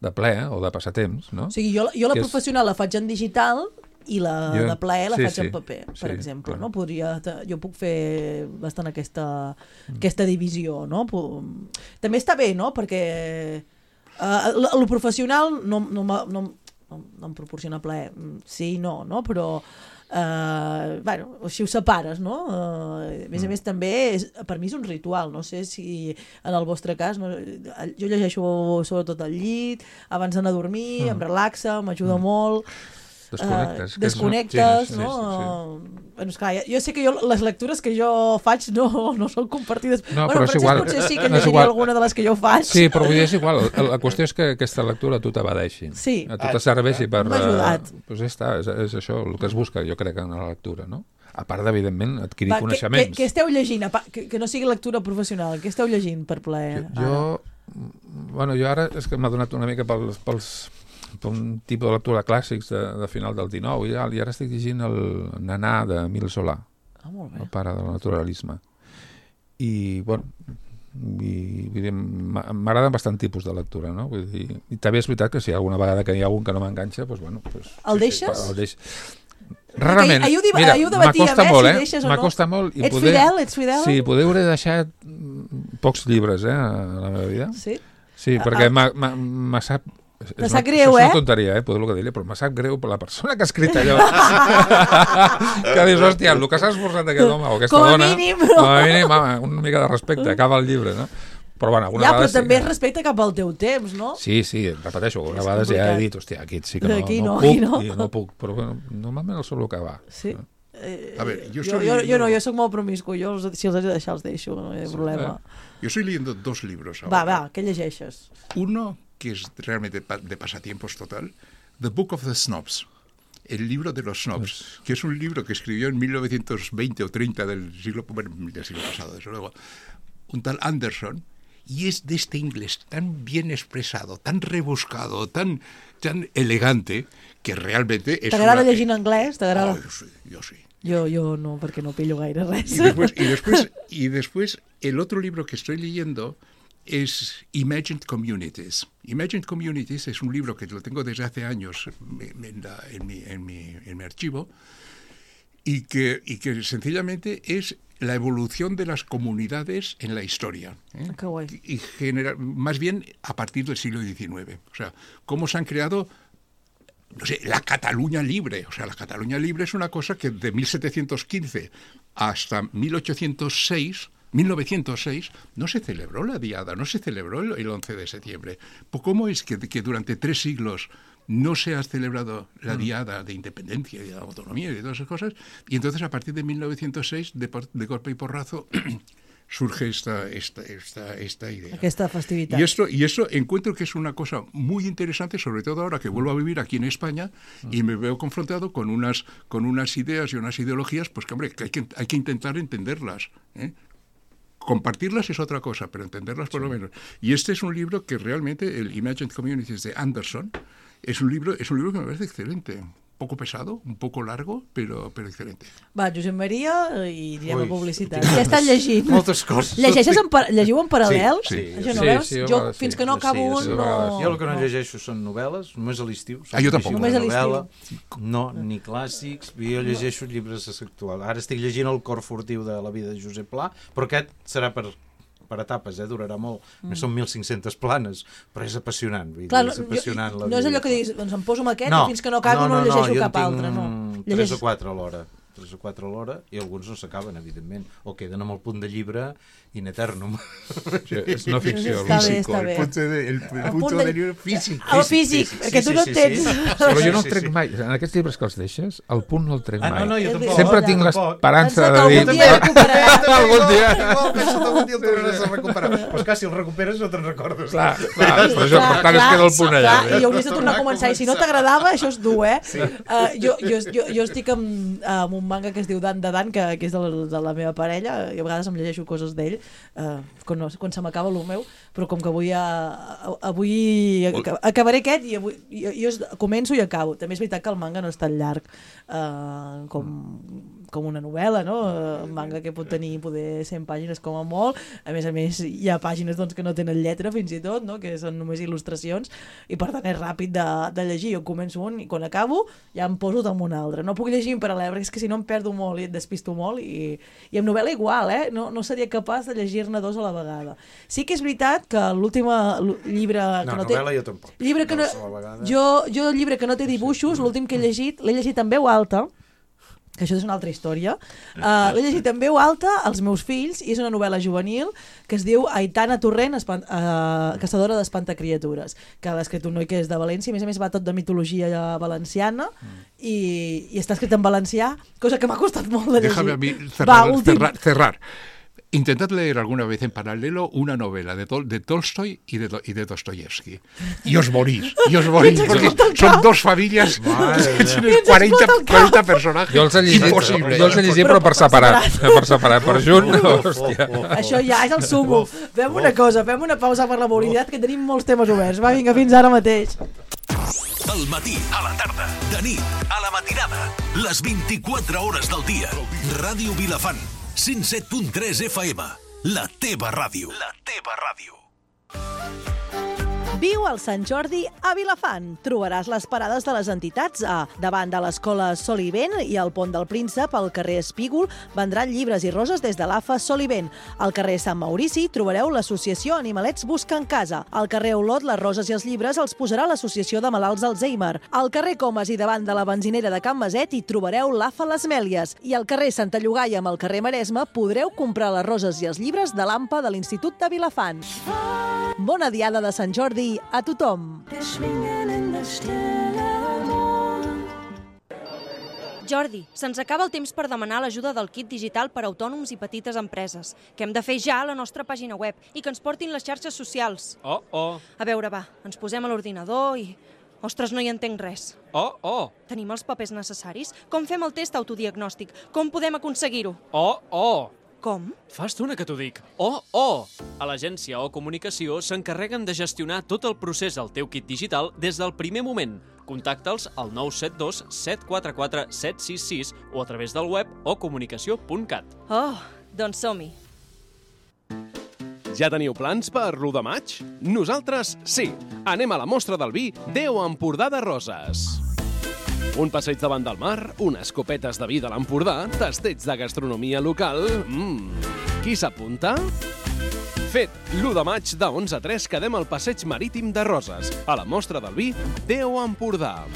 de ple o de passatemps, no? O sigui, jo, jo la que professional és... la faig en digital i la jo... de plaer la sí, faig sí, en paper, per sí, exemple. clar. No? Podria, jo puc fer bastant aquesta, mm. aquesta divisió. No? També està bé, no? Perquè uh, el professional no, no, no, no, no em proporciona plaer. Sí i no, no? Però Uh, bueno, així ho separes, no? Uh, a més a més també és, per mi és un ritual, no sé si en el vostre cas no, jo llegeixo sobretot al llit abans d'anar a dormir, mm. em relaxa, m'ajuda mm. molt. Desconnectes. Uh, desconnectes, sí, no? sí, sí, sí. Bueno, esclar, jo sé que jo, les lectures que jo faig no, no són compartides. No, bueno, però és igual. Potser sí que en llegiria alguna de les que jo faig. Sí, però vull dir, és igual. La qüestió és que aquesta lectura a tu t'abadeixi. Sí. A tu te serveixi per... M'ha ajudat. Uh, doncs ja està, és, és això el que es busca, jo crec, en la lectura, no? A part d'evidentment, adquirir Va, coneixements. Què esteu llegint? Que, que no sigui lectura professional. Què esteu llegint per plaer? Jo, jo, bueno, jo ara és que m'ha donat una mica pels... pels per un tipus de lectura clàssics de, de final del dinou i, i ara estic llegint el Nanà d'Emile Zola, ah, molt bé. el pare del naturalisme, i bueno i, vull dir, m'agraden bastant tipus de lectura, no? Vull dir, i també és veritat que si alguna vegada que hi ha algun que no m'enganxa, doncs bueno, pues, el sí, deixes? Sí, el deix... Rarament, ahir ho, div... mira, m'acosta molt, eh, eh? Si m'acosta no. molt i ets poder... fidel? Ets fidel? Sí, poder hauré deixat pocs llibres, eh, a la meva vida. Sí? Sí, perquè ah. me sap... Te sap greu, eh? És eh? una tonteria, eh? Poder-lo que dir-li, però me sap greu per la persona que ha escrit allò. Que dius, hòstia, el que s'ha esforçat aquest home o aquesta com a dona... Mínim, no? Com a mínim, home, una mica de respecte, acaba el llibre, no? Però, bueno, alguna ja, però vegada... també sí, és respecte cap al teu temps, no? Sí, sí, repeteixo, alguna vegada ja he dit, hòstia, aquí sí que no, aquí no, no, puc, no. i no puc, però bueno, normalment el solo que va. Sí. No? Eh, a ver, yo, jo, soy jo, leyendo... jo no, jo soc molt promiscu, jo els, si els he de deixar els deixo, no hi ha problema. Yo estoy leyendo dos libros ahora. Va, va, què llegeixes? Uno, que es realmente de pasatiempos total, The Book of the Snobs, el libro de los snobs, que es un libro que escribió en mil novecientos veinte o treinta del siglo, bueno, del siglo pasado, desde luego, un tal Anderson, y es de este inglés tan bien expresado, tan rebuscado, tan, tan elegante, que realmente es... T'agrada una... llegir en anglès? T'agrada... Oh, jo sí, jo sí. Jo, jo no, perquè no pillo gaire res. Y después, y, después, y después, el otro libro que estoy leyendo es Imagined Communities. Imagined Communities es un libro que lo tengo desde hace años en, la, en, mi, en, mi, en mi archivo, y que, y que sencillamente es la evolución de las comunidades en la historia. ¿eh? Qué guay. Y genera, más bien a partir del siglo diecinueve. O sea, cómo se han creado, no sé, la Cataluña libre. O sea, la Cataluña libre es una cosa que de mil setecientos quince hasta mil ochocientos seis, mil novecientos seis, no se celebró la Diada, no se celebró el, el once de septiembre. Pues ¿cómo es que, que durante tres siglos no se ha celebrado la Diada de Independencia y de Autonomía y de todas esas cosas? Y entonces, a partir de mil novecientos seis, de, de golpe y porrazo, surge esta, esta, esta, esta idea. Aquesta festivitat. Y esto, y eso encuentro que es una cosa muy interesante, sobre todo ahora que vuelvo a vivir aquí en España y me veo confrontado con unas, con unas ideas y unas ideologías, pues que, hombre, que hay que, hay que intentar entenderlas, ¿eh? Compartirlas es otra cosa, pero entenderlas por lo menos. Y este es un libro que realmente, el Imagined Communities de Anderson, es un libro, es un libro que me parece excelente. Un poco pesado, un poco largo, però, però excelente. Va, Josep Maria, i anirem Ui, a publicitat. tinc Ja estàs llegint. moltes coses. Llegeixes en par llegiu en paral·lel? Sí, sí. Això Sí, novel·les? sí, a Jo, vegades fins sí. que no acabo Sí, un, sí, no... Jo el que no llegeixo són novel·les, només a l'estiu. Ah, jo tampoc. Només a Novel·la, no, ni clàssics. Jo llegeixo llibres actuals. Ara estic llegint El cor furtiu de la vida de Josep Pla, però aquest serà per... per etapes, eh? Durarà molt. Mm. Són mil cinc-centes planes, però és apassionant. Vull Clar, dir, és apassionant jo, la no és vida. allò que diguis, doncs em poso amb aquest No, i fins que no acabo no, no, no llegeixo jo cap altre. No, tres Llegeix... o quatre a l'hora. Tres o quatre a l'hora, i alguns no s'acaben, evidentment. O queden amb el punt de llibre in eternum. Sí, és no ficció. Està bé, Físico, està el bé. punto de, el, el El punto punt del de- libro físico. El físic, sí, sí, perquè sí, tu no sí, tens... sí. Però jo no Sí, el trec sí. mai. En aquests llibres que els deixes, el punt no el trec Ah, mai. no, no, jo El tampoc. Sempre Hola. tinc Tampoc. l'esperança Pensa de que dir... algun dia recuperaràs. Algun dia. Igual, penso que algun dia el tornaràs a recuperar. Però és que si el recuperes no te'n recordes. Clar, clar, per això, per tant, es queda el punt allà. Clar, i hauries de tornar a començar. I si no t'agradava, això és dur, eh? Sí. Uh, jo, jo, jo, jo estic amb, amb un manga que es diu Dan de Dan, que, que és de la, de la meva parella, i a vegades em llegeixo coses d'ell, uh, quan, no, quan se m'acaba el meu, però com que avui, uh, avui acabaré aquest i avui, jo, jo començo i acabo. També és veritat que el manga no és tan llarg uh, com, com una novel·la, no? Un manga que pot tenir poder cent pàgines com a molt. A més a més, hi ha pàgines doncs, que no tenen lletra fins i tot, no? Que són només il·lustracions, i per tant és ràpid de, de llegir. Jo començo un i quan acabo ja em poso amb un altre. No puc llegir en paral·lel, perquè és que si no em perdo molt i et despisto molt, i, i amb novel·la igual, eh? No, no seria capaç de llegir-ne dos a la vegada. Sí que és veritat que l'últim llibre que No, no té... novel·la jo tampoc. Llibre que no... Dos a la vegada. Jo, jo el llibre que no té dibuixos, l'últim que he llegit, l'he llegit en veu alta, que això és una altra història. Uh, l'he llegit en veu alta als meus fills, i és una novel·la juvenil que es diu Aitana Torrent, espant, uh, caçadora d'espantacriatures, que l'ha escrit un noi que és de València, a més a més va tot de mitologia valenciana, mm. i, i està escrit en valencià, cosa que m'ha costat molt de llegir. Déjame a mí cerrar, Va, últim. cerrar, cerrar. Intentad leer alguna vez en paralelo una novela de, Tol de Tolstoy y de, y de Dostoyevsky. Y os morís, y os morís, porque son dos familias que tienen cuarenta, cuarenta personajes. Jo els he llegit, Impossible. jo els he llegit però per separat. Per separat, per junt, no, hòstia. Això ja és el sumo. Fem una cosa, fem una pausa per la mobilitat, que tenim molts temes oberts. Va, vinga, fins ara mateix. Al matí, a la tarda, de nit, a la matinada, les vint-i-quatre hores del dia. Ràdio Vilafant, cent set punt tres F M, la teva ràdio. La teva ràdio. Viu al Sant Jordi a Vilafant. Trobaràs les parades de les entitats a davant de l'escola Solivent i al Pont del Príncep, al carrer Espígol, vendran llibres i roses des de l'A F A Solivent. Al carrer Sant Maurici trobareu l'associació Animalets Busquen Casa. Al carrer Olot, les roses i els llibres els posarà l'associació de malalts Alzheimer. Al carrer Comas i davant de la benzinera de Can Maset hi trobareu l'A F A Les Mèlies. I al carrer Santa Llogaia amb el carrer Maresme podreu comprar les roses i els llibres de l'A M P A de l'Institut de Vilafant. Bona diada de Sant Jordi a tothom. Jordi, se'ns acaba el temps per demanar l'ajuda del kit digital per a autònoms i petites empreses, que hem de fer ja a la nostra pàgina web i que ens portin les xarxes socials. Oh, oh, A veure, va, ens posem a l'ordinador i... Ostres, no hi entenc res. oh, oh, Tenim els papers necessaris? Com fem el test autodiagnòstic? Com podem aconseguir-ho? oh, oh. Com? Fa estona que t'ho dic. Oh, oh! A l'agència o comunicació s'encarreguen de gestionar tot el procés al teu kit digital des del primer moment. Contacta'ls al nou set dos set quatre quatre set sis sis o a través del web o comunicació punt cat. Oh, doncs som-hi. Ja teniu plans per l'u de maig? Nosaltres sí. Anem a la mostra del vi Déu Empordà de Roses. Un passeig davant del mar, unes copetes de vi de l'Empordà, tasteig de gastronomia local... Mmm, qui s'apunta? Fet, l'u de maig de onze a tres quedem al passeig marítim de Roses, a la mostra del vi Déu Empordà.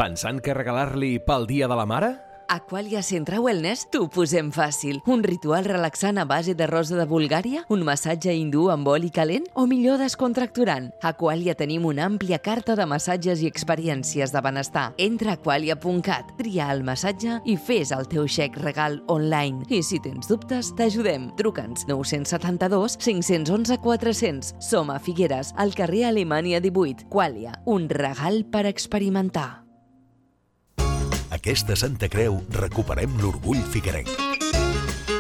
Pensant què regalar-li pel Dia de la Mare? Aqualia Centre Wellness t'ho posem fàcil. Un ritual relaxant a base de rosa de Bulgària? Un massatge hindú amb oli calent? O millor descontracturant? A Aqualia tenim una àmplia carta de massatges i experiències de benestar. Entra a aqualia punt cat, tria el massatge i fes el teu xec regal online. I si tens dubtes, t'ajudem. Truca'ns nou set dos, cinc un un, quatre zero zero. Som a Figueres, al carrer Alemanya divuit. Aqualia, un regal per experimentar. Aquesta Santa Creu recuperem l'orgull figuerenc.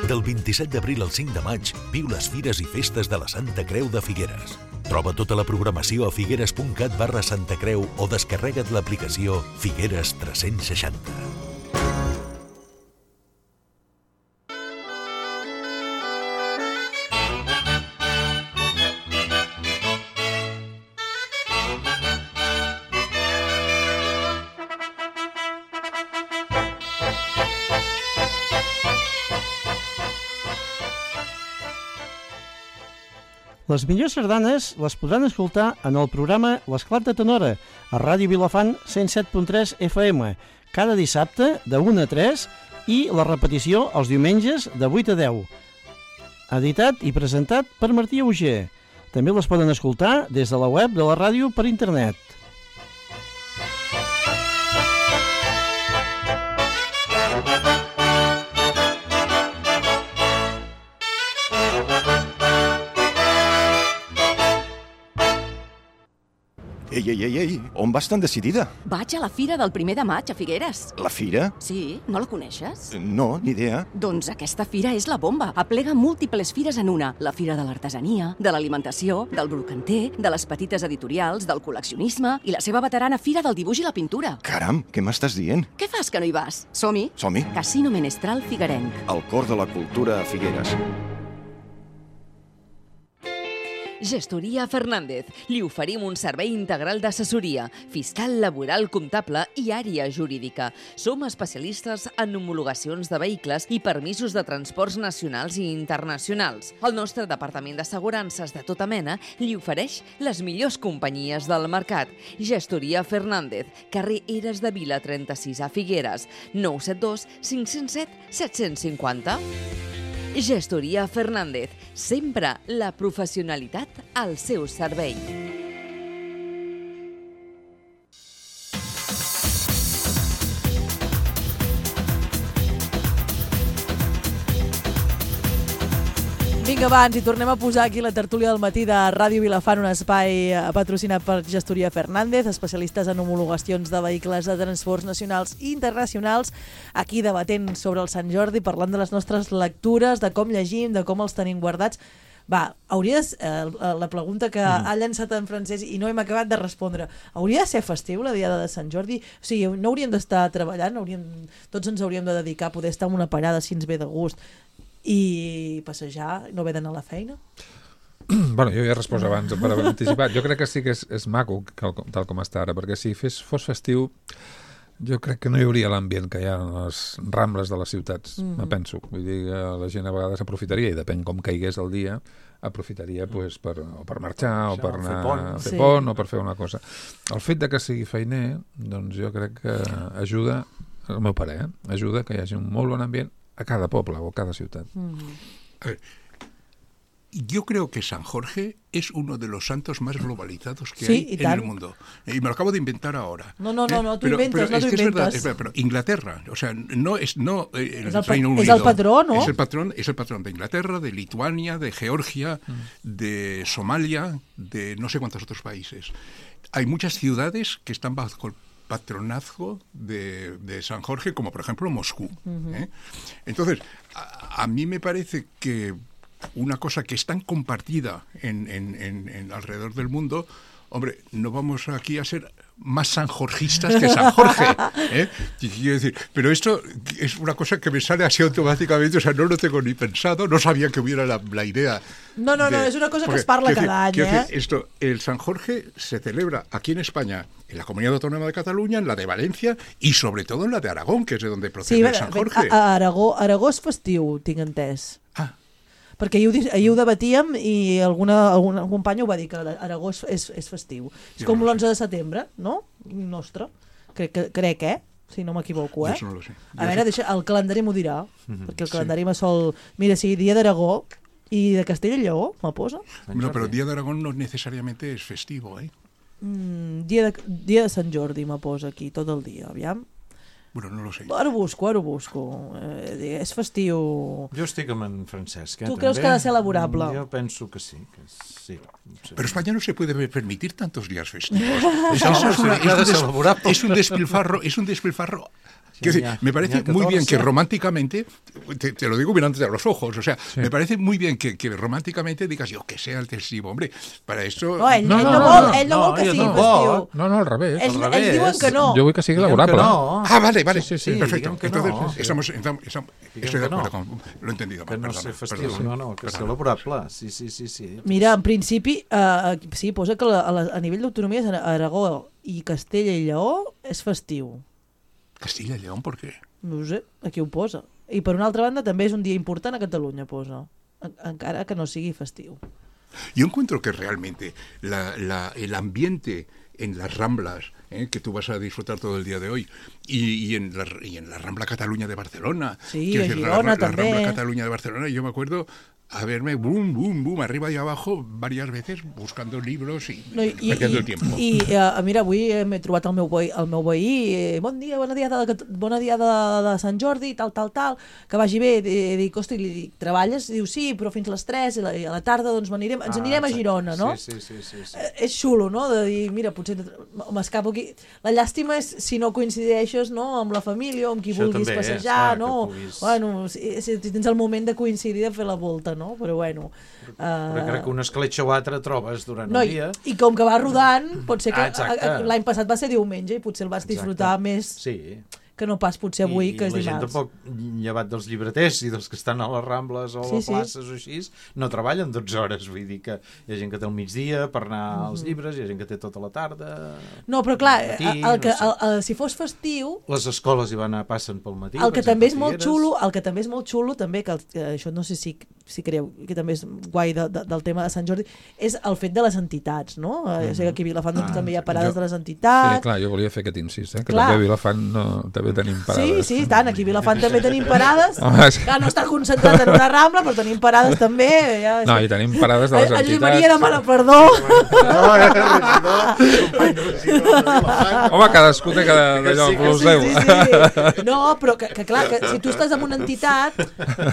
Del vint-i-set d'abril al cinc de maig, viu les fires i festes de la Santa Creu de Figueres. Troba tota la programació a figueres punt cat barra Santa Creu o descarrega't l'aplicació Figueres tres-cents seixanta. Les millors sardanes les podran escoltar en el programa L'Esclat de Tenora, a Ràdio Vilafant cent set punt tres F M, cada dissabte de una a tres i la repetició els diumenges de vuit a deu. Editat i presentat per Martí Auger. També les poden escoltar des de la web de la ràdio per internet. Ei, ei, ei, ei, on vas tan decidida? Vaig a la fira del primer de maig a Figueres. La fira? Sí, no la coneixes? No, ni idea. Doncs aquesta fira és la bomba. Aplega múltiples fires en una. La fira de l'artesania, de l'alimentació, del brocanter, de les petites editorials, del col·leccionisme i la seva veterana fira del dibuix i la pintura. Caram, què m'estàs dient? Què fas que no hi vas? Som-hi? Som-hi. Casino Menestral Figuerenc. El cor de la cultura a Figueres. Gestoria Fernández. Li oferim un servei integral d'assessoria, fiscal, laboral, comptable i àrea jurídica. Som especialistes en homologacions de vehicles i permisos de transports nacionals i internacionals. El nostre departament d'assegurances de tota mena li ofereix les millors companyies del mercat. Gestoria Fernández, carrer Eres de Vila trenta-sis a Figueres, nou set dos, cinc zero set, set cinc zero. Gestoria Fernández, sempre la professionalitat al seu servei. Vinga, va, ens hi tornem a posar aquí la tertúlia del matí de Ràdio Vilafant, un espai patrocinat per Gestoria Fernández, especialistes en homologacions de vehicles de transports nacionals i internacionals, aquí debatent sobre el Sant Jordi, parlant de les nostres lectures, de com llegim, de com els tenim guardats. Va, hauries, eh, la pregunta que mm. ha llançat en Francesc i no hem acabat de respondre, hauria de ser festiu la diada de Sant Jordi? O sigui, no hauríem d'estar treballant, hauríem, tots ens hauríem de dedicar a poder estar en una parada si ens ve de gust i passejar, no haver d'anar a la feina? Bueno, jo ja he respost abans per haver anticipat. Jo crec que sí que és, és maco tal com està ara, perquè si fes, fos festiu jo crec que no hi hauria l'ambient que hi ha en les rambles de les ciutats, mm. me penso. Vull dir que la gent a vegades aprofitaria, i depèn com caigués el dia, aprofitaria pues, per, o per marxar, o per anar a fer pont, o per fer una cosa. El fet de que sigui feiner, doncs jo crec que ajuda, el meu pare, eh? ajuda que hi hagi un molt bon ambient a cada poble o a cada ciutat. Mm. A ver, yo creo que San Jorge es uno de los santos más globalizados que sí, hay en el mundo. Y me lo acabo de inventar ahora. No, no, no, no tú pero, inventas, pero no es tú que inventas. Es verdad, es verdad, pero Inglaterra, o sea, no es no eh, el, es el Reino pa- Unido. Es el patrón, ¿no? Es el patrón, es el patrón de Inglaterra, de Lituania, de Georgia, mm. de Somalia, de no sé cuántos otros países. Hay muchas ciudades que están bajo el patronazgo de, de San Jorge, como por ejemplo Moscú. Uh-huh. ¿eh? Entonces, a, a mí me parece que una cosa que es tan compartida en, en, en, en alrededor del mundo, hombre, no vamos aquí a ser más sanjorgistas que San Jorge, ¿eh? Y quiero decir, pero esto es una cosa que me sale así automáticamente, o sea, no lo tengo ni pensado, no sabía que hubiera la, la idea. No, no, de, no, és una cosa porque, que es parla cada decir, any, eh? Decir, esto, el San Jorge se celebra aquí en España, en la Comunidad Autónoma de Cataluña, en la de Valencia y sobre todo en la de Aragón, que es de donde procede sí, el San Jorge. A, a Aragó, Aragó és festiu, tinc entès. Ah. Perquè ahir ho, ahir ho debatíem i alguna, alguna companya ho va dir, que Aragó és, és, és festiu. És com l'onze de setembre, no? Nostre. Crec, que, crec eh? Si no m'equivoco, eh? Jo no lo sé. A veure, deixa, el calendari m'ho dirà, Mm-hmm. perquè el calendari sí. me sol... Mira, si dia d'Aragó i de Castella i Lleó, me posa. No, pero el Día de Aragón no necesariamente es festivo, ¿eh? Mm, dia, de, dia de Sant Jordi me posa aquí, tot el dia, aviam. Bueno, no lo sé. Ara ho busco, ara ho busco. Eh, és festiu... Jo estic amb en Francesc, eh, Tu també. creus que ha de ser laborable? Jo penso que sí. Que sí, sí. Pero España no se puede permitir tantos días festivos. Eso es, una, es, un des, es un despilfarro, es un despilfarro. Sí, decir, ya, me parece ya muy bien que catorce. románticamente, te, te lo digo mirándote a los ojos, o sea, Sí. me parece muy bien que, que románticamente digas, yo que sea el festivo, hombre, para esto... No, ell no, No, ell no, no, no, vol, no, ell no, no, vol que jo sigui tampoc. festiu. No, no, al revés. Ells, al ells revés. diuen que no. Jo vull que sigui Diguem laborable. que no. Ah, vale, vale, Sí, sí, sí, perfecto. diguem que Entonces, no. estamos, estamos, estamos- Diguem estoy de que no. acuerdo con... Lo he entendido Que mal, no perdona, ser festiu, perdona. no, no, que Perdona. ser laborable. Sí, sí, sí, sí. Mira, en principi, eh, sí, posa que la, a, la, a nivell d'autonomies Aragó i Castella i Lleó és festiu. Castilla y León, ¿por qué? No ho sé, aquí ho posa. I per una altra banda també és un dia important a Catalunya, posa. En, encara que no sigui festiu. Yo encuentro que realmente la, la, el ambiente en las Ramblas, ¿eh? que tú vas a disfrutar todo el día de hoy, y, y, en, la, y en la Rambla Cataluña de Barcelona. Sí, quiero a decir, Girona la, la també. Rambla Catalunya de Barcelona, yo me acuerdo haberme boom, boom, boom, arriba y abajo varias veces buscando libros y, No, i, perdiendo i, el tiempo. I, uh, mira, avui m'he trobat el meu veí, el meu veí eh, bon dia, bona diada, de, bona diada de, de Sant Jordi, tal, tal, tal, que vagi bé. I dic, hosti, li dic, treballes? Diu, sí, però fins les tres, i, la, i a la tarda doncs anirem, ens Ah, anirem a exacte. Girona, no? Sí, sí, sí, sí, sí. Eh, és xulo, no?, de dir, mira, potser m'escapo aquí. La llàstima és si no coincideixes, no?, amb la família o amb qui Això vulguis també és, passejar, clar, no? que puguis- Bueno, si, si tens el moment de coincidir, de fer la volta, no? Però bueno... Però Uh, crec que una escletxa o altra trobes durant no, el i, dia. i com que va rodant, pot ser que Ah, exacte. a- a- l'any passat va ser diumenge i potser el vas disfrutar més Sí. que no pas potser avui, I, que és la gent dimarts. tampoc, llevat dels llibreters i dels que estan a les Rambles o Sí, a sí. places o així, no treballen dotze hores, vull dir que hi ha gent que té el migdia per anar als llibres, hi ha gent que té tota la tarda... No, però clar, al matí, el, el que, no sé. el, el, si fos festiu, Les escoles hi van a passen pel matí. el per que exemple, també és a molt Figueres. xulo, el que també és molt xulo, també, que, el, que això no sé si, si creu, que també és guai de, de, del tema de Sant Jordi, és el fet de les entitats, no? Mm -hmm. Jo sé que aquí a Vilafant doncs, Ah, també hi ha parades jo- de les entitats. Sí, clar, jo volia fer aquest incís, eh? que Clar. també a Vilafant no, també tenim Sí, parades. sí, tant, aquí a Vilafant també tenim parades. Home, és que- Clar, no està concentrat en una rambla, però tenim parades també. Ja, No, i tenim parades de les En Josep entitats. Maria demana perdó. Home, cadascú té cada d'allò Sí, amb el sí, seu. sí, sí. No, però que, que clar, que si tu estàs en una entitat,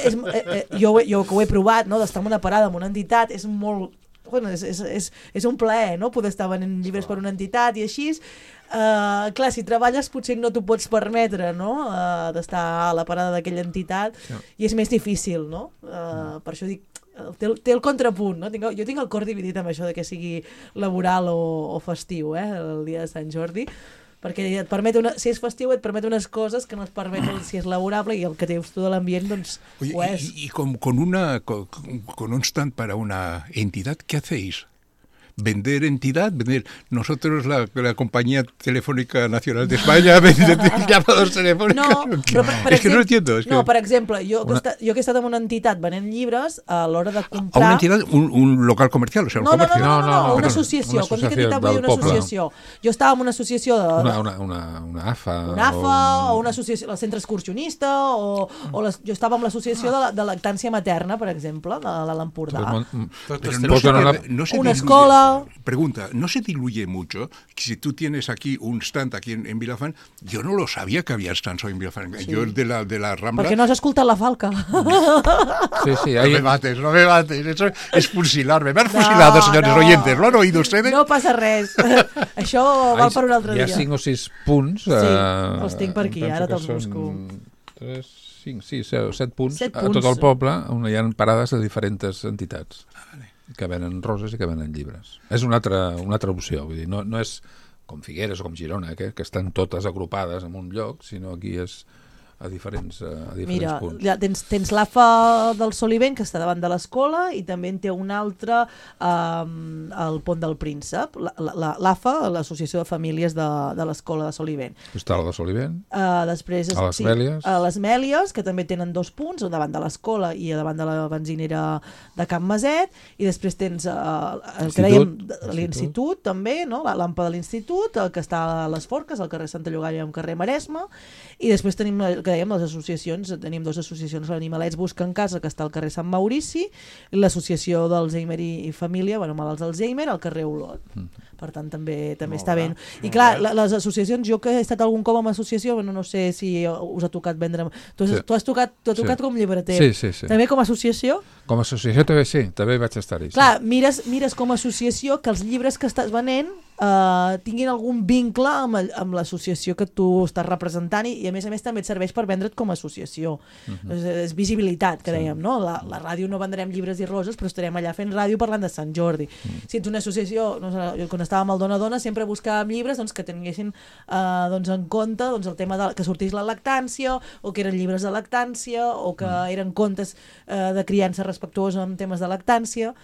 és, eh, eh, jo, jo que ho he provat, no, d'estar en una parada en una entitat, és molt... Bueno, és, és, és, és un plaer, no?, poder estar venent llibres per una entitat i així. Uh, clar, si treballes potser no t'ho pots permetre, no?, uh, d'estar a la parada d'aquella entitat, Sí. i és més difícil, no? Uh, per això dic, té el, té el contrapunt, no? Tinc, jo tinc el cor dividit amb això de que sigui laboral o, o festiu, eh, el dia de Sant Jordi, perquè et permet una, si és festiu et permet unes coses que no et permet el, si és laborable, i el que dius tu de l'ambient doncs Oye, ho és. y, y con, con, una, con, con un stand para una entidad, ¿qué hacéis? ¿Vender entidad? ¿Vender nosotros, la, la Compañía Telefónica Nacional de España, vender llamados telefónicos? No, però per, per es que no exemple- lo entiendo. Es que... No, per exemple, jo, que Una- he estat, jo que he estat en una entitat venent llibres, a l'hora de ¿A comprar... una entidad? Un, un local comercial? O sea, un No, no, no, comercio. no, no, no, no, una perdó, associació. una Quan dic associació entitat vull dir del una poble. associació. Jo estava en una associació de... Una, una, una, una A F A. una A F A o o una associació, el centre excursionista, o, o les, jo estava amb l'associació de, la, de lactància materna, per exemple, de, de l'Empordà. Pero Pues no se, no la- no se Una diluye- escola. Pregunta, ¿no se diluye mucho? Si tú tienes aquí un stand aquí en, en Vilafant, yo no lo sabía que había stands hoy en Vilafant. Sí. Yo el de la, de la Rambla... Perquè no has escoltat la falca. Sí, sí, No ahí... me mates, no me mates, eso es fusilarme. Me han fusilado, señores no. oyentes, ¿lo han oído ustedes? No passa res. Això val per un altre Hi dia. ha cinc o sis punts. Sí, eh, els tinc per aquí, em penso ara que te'ls són busco. tres, cinc, sis, set punts Set a tot punts. el poble on hi ha parades de diferents entitats. que venen roses i que venen llibres. És una altra, una altra opció, vull dir, no, no és com Figueres o com Girona, que, que estan totes agrupades en un lloc, sinó aquí és a diferents, a diferents Mira, punts. ja tens, tens l'A F A del Solivent, que està davant de l'escola, i també en té un altre um, al Pont del Príncep, l'A F A, l'Associació de Famílies de, de l'Escola de Solivent. Està la de Solivent, Uh, després, a les sí, Mèlies. a les Mèlies, que també tenen dos punts, davant de l'escola i davant de la benzinera de Can Maset, i després tens uh, el que dèiem, l'institut també, no? La l'Ampa de l'institut, el que està a les Forques, al carrer Santa Llogaia i al carrer Maresme, i després tenim el que dèiem, les associacions, tenim dues associacions, l'Animalets Busquen Casa, que està al carrer Sant Maurici, i l'associació d'Alzheimer i, i Família, bueno, malalts d'Alzheimer, al carrer Olot. Mm. Per tant, també també està bé. I clar, la, les associacions, jo que he estat algun cop amb associació, bueno, no sé si us ha tocat vendre... Tu has, sí. tu has tocat, tu has tocat sí. com llibreter. Sí, sí, sí. També com a associació? Com a associació també sí, també vaig estar-hi. Clar, sí. mires, mires com a associació que els llibres que estàs venent Uh, tinguin algun vincle amb, el, amb l'associació que tu estàs representant i, i a més a més també et serveix per vendre't com a associació. Uh-huh. és, és visibilitat, que sí. dèiem, no? La, la ràdio no vendrem llibres i roses, però estarem allà fent ràdio parlant de Sant Jordi. Uh-huh. Si ets una associació, no sé, jo quan estàvem al Dona Dona sempre buscàvem llibres doncs, que tinguessin uh, doncs, en compte doncs, el tema de, que sortís la lactància, o que eren llibres de lactància, o que uh-huh. eren contes uh, de criança respectuosa en temes de lactància.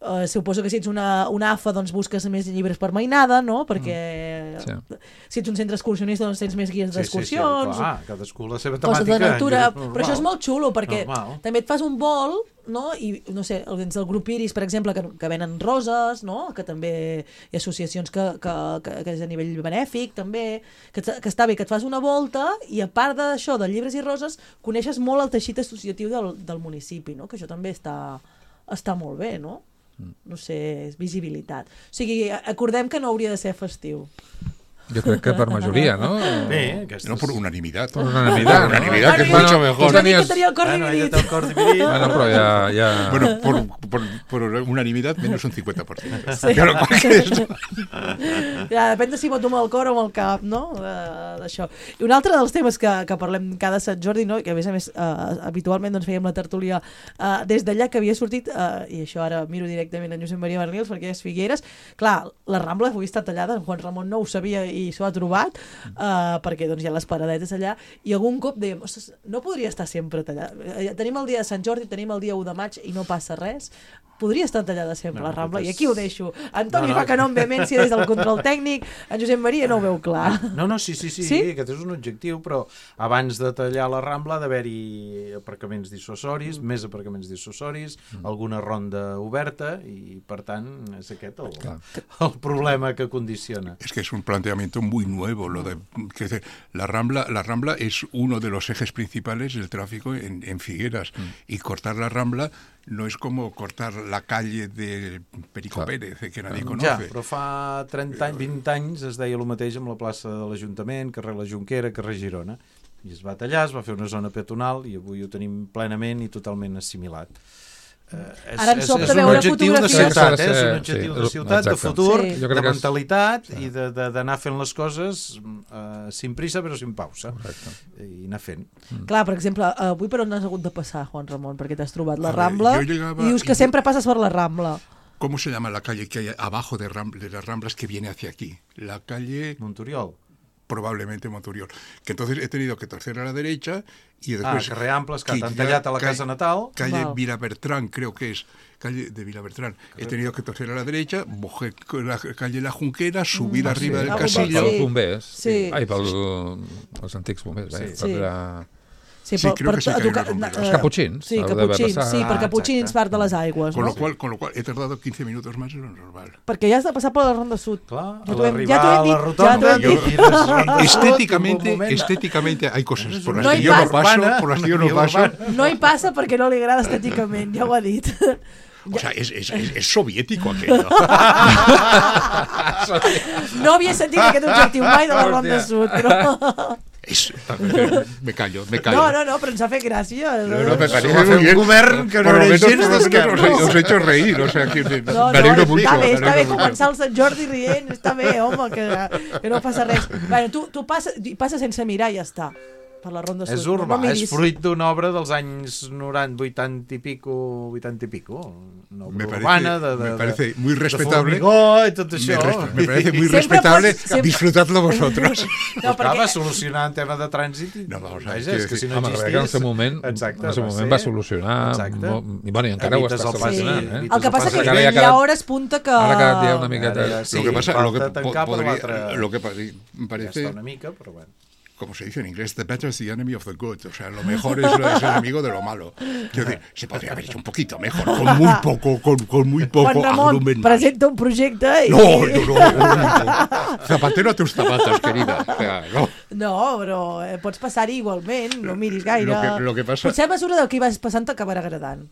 Uh, suposo que si ets una, una A F A doncs busques més llibres per mainada, no? Perquè mm. sí. si ets un centre excursionista doncs tens més guies sí, d'excursions. Sí, sí, clar, cadascú la seva temàtica. Coses de natura, però això és molt xulo perquè normal. També et fas un vol, no? I no sé, dins del grup Iris, per exemple, que, que venen roses, no? Que també hi ha associacions que, que, que, que és a nivell benèfic també, que, que està bé, que et fas una volta i a part d'això, de llibres i roses, coneixes molt el teixit associatiu del, del municipi, no? Que això també està, està molt bé, no? No sé, és visibilitat. O sigui, acordem que no hauria de ser festiu. Yo creo que per majoria, ¿no? Sí, que no por unanimidad. Por unanimidad, por unanimidad, ¿no? que es Bueno, mucho mejor. Una mica tenia el cor dividit. Bueno, però ja... ja... Bueno, por, por, por unanimidad menos un cincuenta por ciento. Sí. Però cualquier... Ja, depèn de si voto amb el cor o amb el cap, no? D'això. I un altre dels temes que, que parlem cada Sant Jordi, no? I que a més a més uh, habitualment doncs, fèiem la tertúlia uh, des d'allà que havia sortit, uh, i això ara miro directament en Josep Maria Bernils perquè és Figueres, clar, la Rambla avui està tallada, en Juan Ramon no ho sabia i s'ho ha trobat, uh, perquè doncs, hi ha les paradetes allà, i algun cop dèiem, ostres, no podria estar sempre tallada. Tenim el dia de Sant Jordi, tenim el dia u de maig i no passa res. Podria estar tallada sempre no, la Rambla, és... i aquí ho deixo. Antoni no, no. fa que no amb vehemència des del control tècnic, en Josep Maria no ho veu clar. No, no, sí, sí, sí, sí? aquest és un objectiu, però abans de tallar la Rambla ha d'haver-hi aparcaments dissuasoris, mm. més aparcaments dissuasoris, mm. alguna ronda oberta, i per tant és aquest el, el problema que condiciona. Es que es un planteamiento muy nuevo, lo de que la Rambla, la Rambla es uno de los ejes principales del tráfico en, en Figueras, mm. y cortar la Rambla no es como cortar la calle de Perico Clar. Pérez, que nadie ja, conoce. Ja, però fa trenta anys, vint anys es deia el mateix amb la plaça de l'Ajuntament, carrer La Jonquera, carrer Girona. I es va tallar, es va fer una zona peatonal i avui ho tenim plenament i totalment assimilat. Uh, és, Ara ens sobta veure fotografies. És un objectiu de ciutat, eh? És un objectiu de ciutat, de futur, sí. de mentalitat sí. i d'anar fent les coses uh, sin prisa però sin pausa. Correcte. I anar fent. Mm. Clar, per exemple, avui per on has hagut de passar, Juan Ramon? Perquè t'has trobat la Rambla ver, i dius que y... sempre passes per la Rambla. ¿Cómo se llama la calle que hay abajo de, Rambla, de las Ramblas que viene hacia aquí? La calle... Monturiol. Probablemente Monturiol. Que entonces he tenido que torcer a la derecha y después... Ah, carrer Amples, que t'han tallat a la casa natal. Calle wow. Vilabertrán, creo que es. Calle de Vilabertrán. He tenido que torcer a la derecha, bajar la calle La Junquera, subir mm, arriba sí. del casillo... Pels bombers. Sí. Ai, pels antics bombers. Sí. Eh? Sí. Per la... Sí, sí, per, creo per, que sí, que tocar, los uh, caputxins. Sí, caputxins, sí, per ah, caputxins part de les aigües. Con, no? lo cual, con lo cual he tardado quince minutos más de lo normal. Perquè ja has de passar per la Ronda Sud. Clar, ja a l'arribar a la rotonda... Estéticamente, estéticamente hay cosas por las no que yo pas, no paso, por las que yo no paso. No hi passa perquè no li agrada estèticament, ja ho ha dit. O sea, es, es, es, es soviético aquello. No havia sentit aquest objectiu mai de la Ronda Sud, però... Es, me callo, me callo. No, no, no, però ens ha fet gràcia. No, no, me parece muy bien. Un govern que no era gens d'esquerra. Os he hecho reír, o sea, que no, me alegro no, mucho. Està bé, està bé començar el Sant Jordi rient, està bé, home, que, que no passa res. Bueno, tu, tu passes, passes sense mirar i ja està. Per la Ronda Sud. És urbà, no és fruit d'una obra dels anys noranta, vuitanta i pico, vuitanta i pico. una me obra parece, urbana de, de, me parece de, muy respetable. De formigó i tot Me, això. res, me parece muy Siempre respetable. pots- sempre- Disfrutadlo vosotros. No, Perquè... va perquè... solucionar en tema de trànsit i... No, vamos a Vaja, ver, és que si no Home, existís... que en el seu moment, Exacte, en el seu va moment ser- va solucionar... Exacte. Molt, I, bueno, i encara Evites ho està el pas- solucionant, sí, eh? El que passa Passa que que ara ja hi ha ha quedat- hores punta que... Ara ha quedat ja una miqueta... Ara ja sí, lo que pasa, lo que falta po- tancar per podría- l'altre- lo que pare- Ja parece, està una mica, però bueno. como se dice en inglés, the better is the enemy of the good. O sea, lo mejor es, es el enemigo de lo malo. Quiero decir, se podría haber hecho un poquito mejor, con muy poco, con, con muy poco Juan Ramon agrumen más. presenta un projecte i... No, no, no, no, no. Zapatero a tus zapatos, querida. O sea, no. No, però eh, pots passar-hi igualment, no miris gaire. Lo que- lo que pasa- Potser a mesura del que hi vas passant t'acabarà agradant.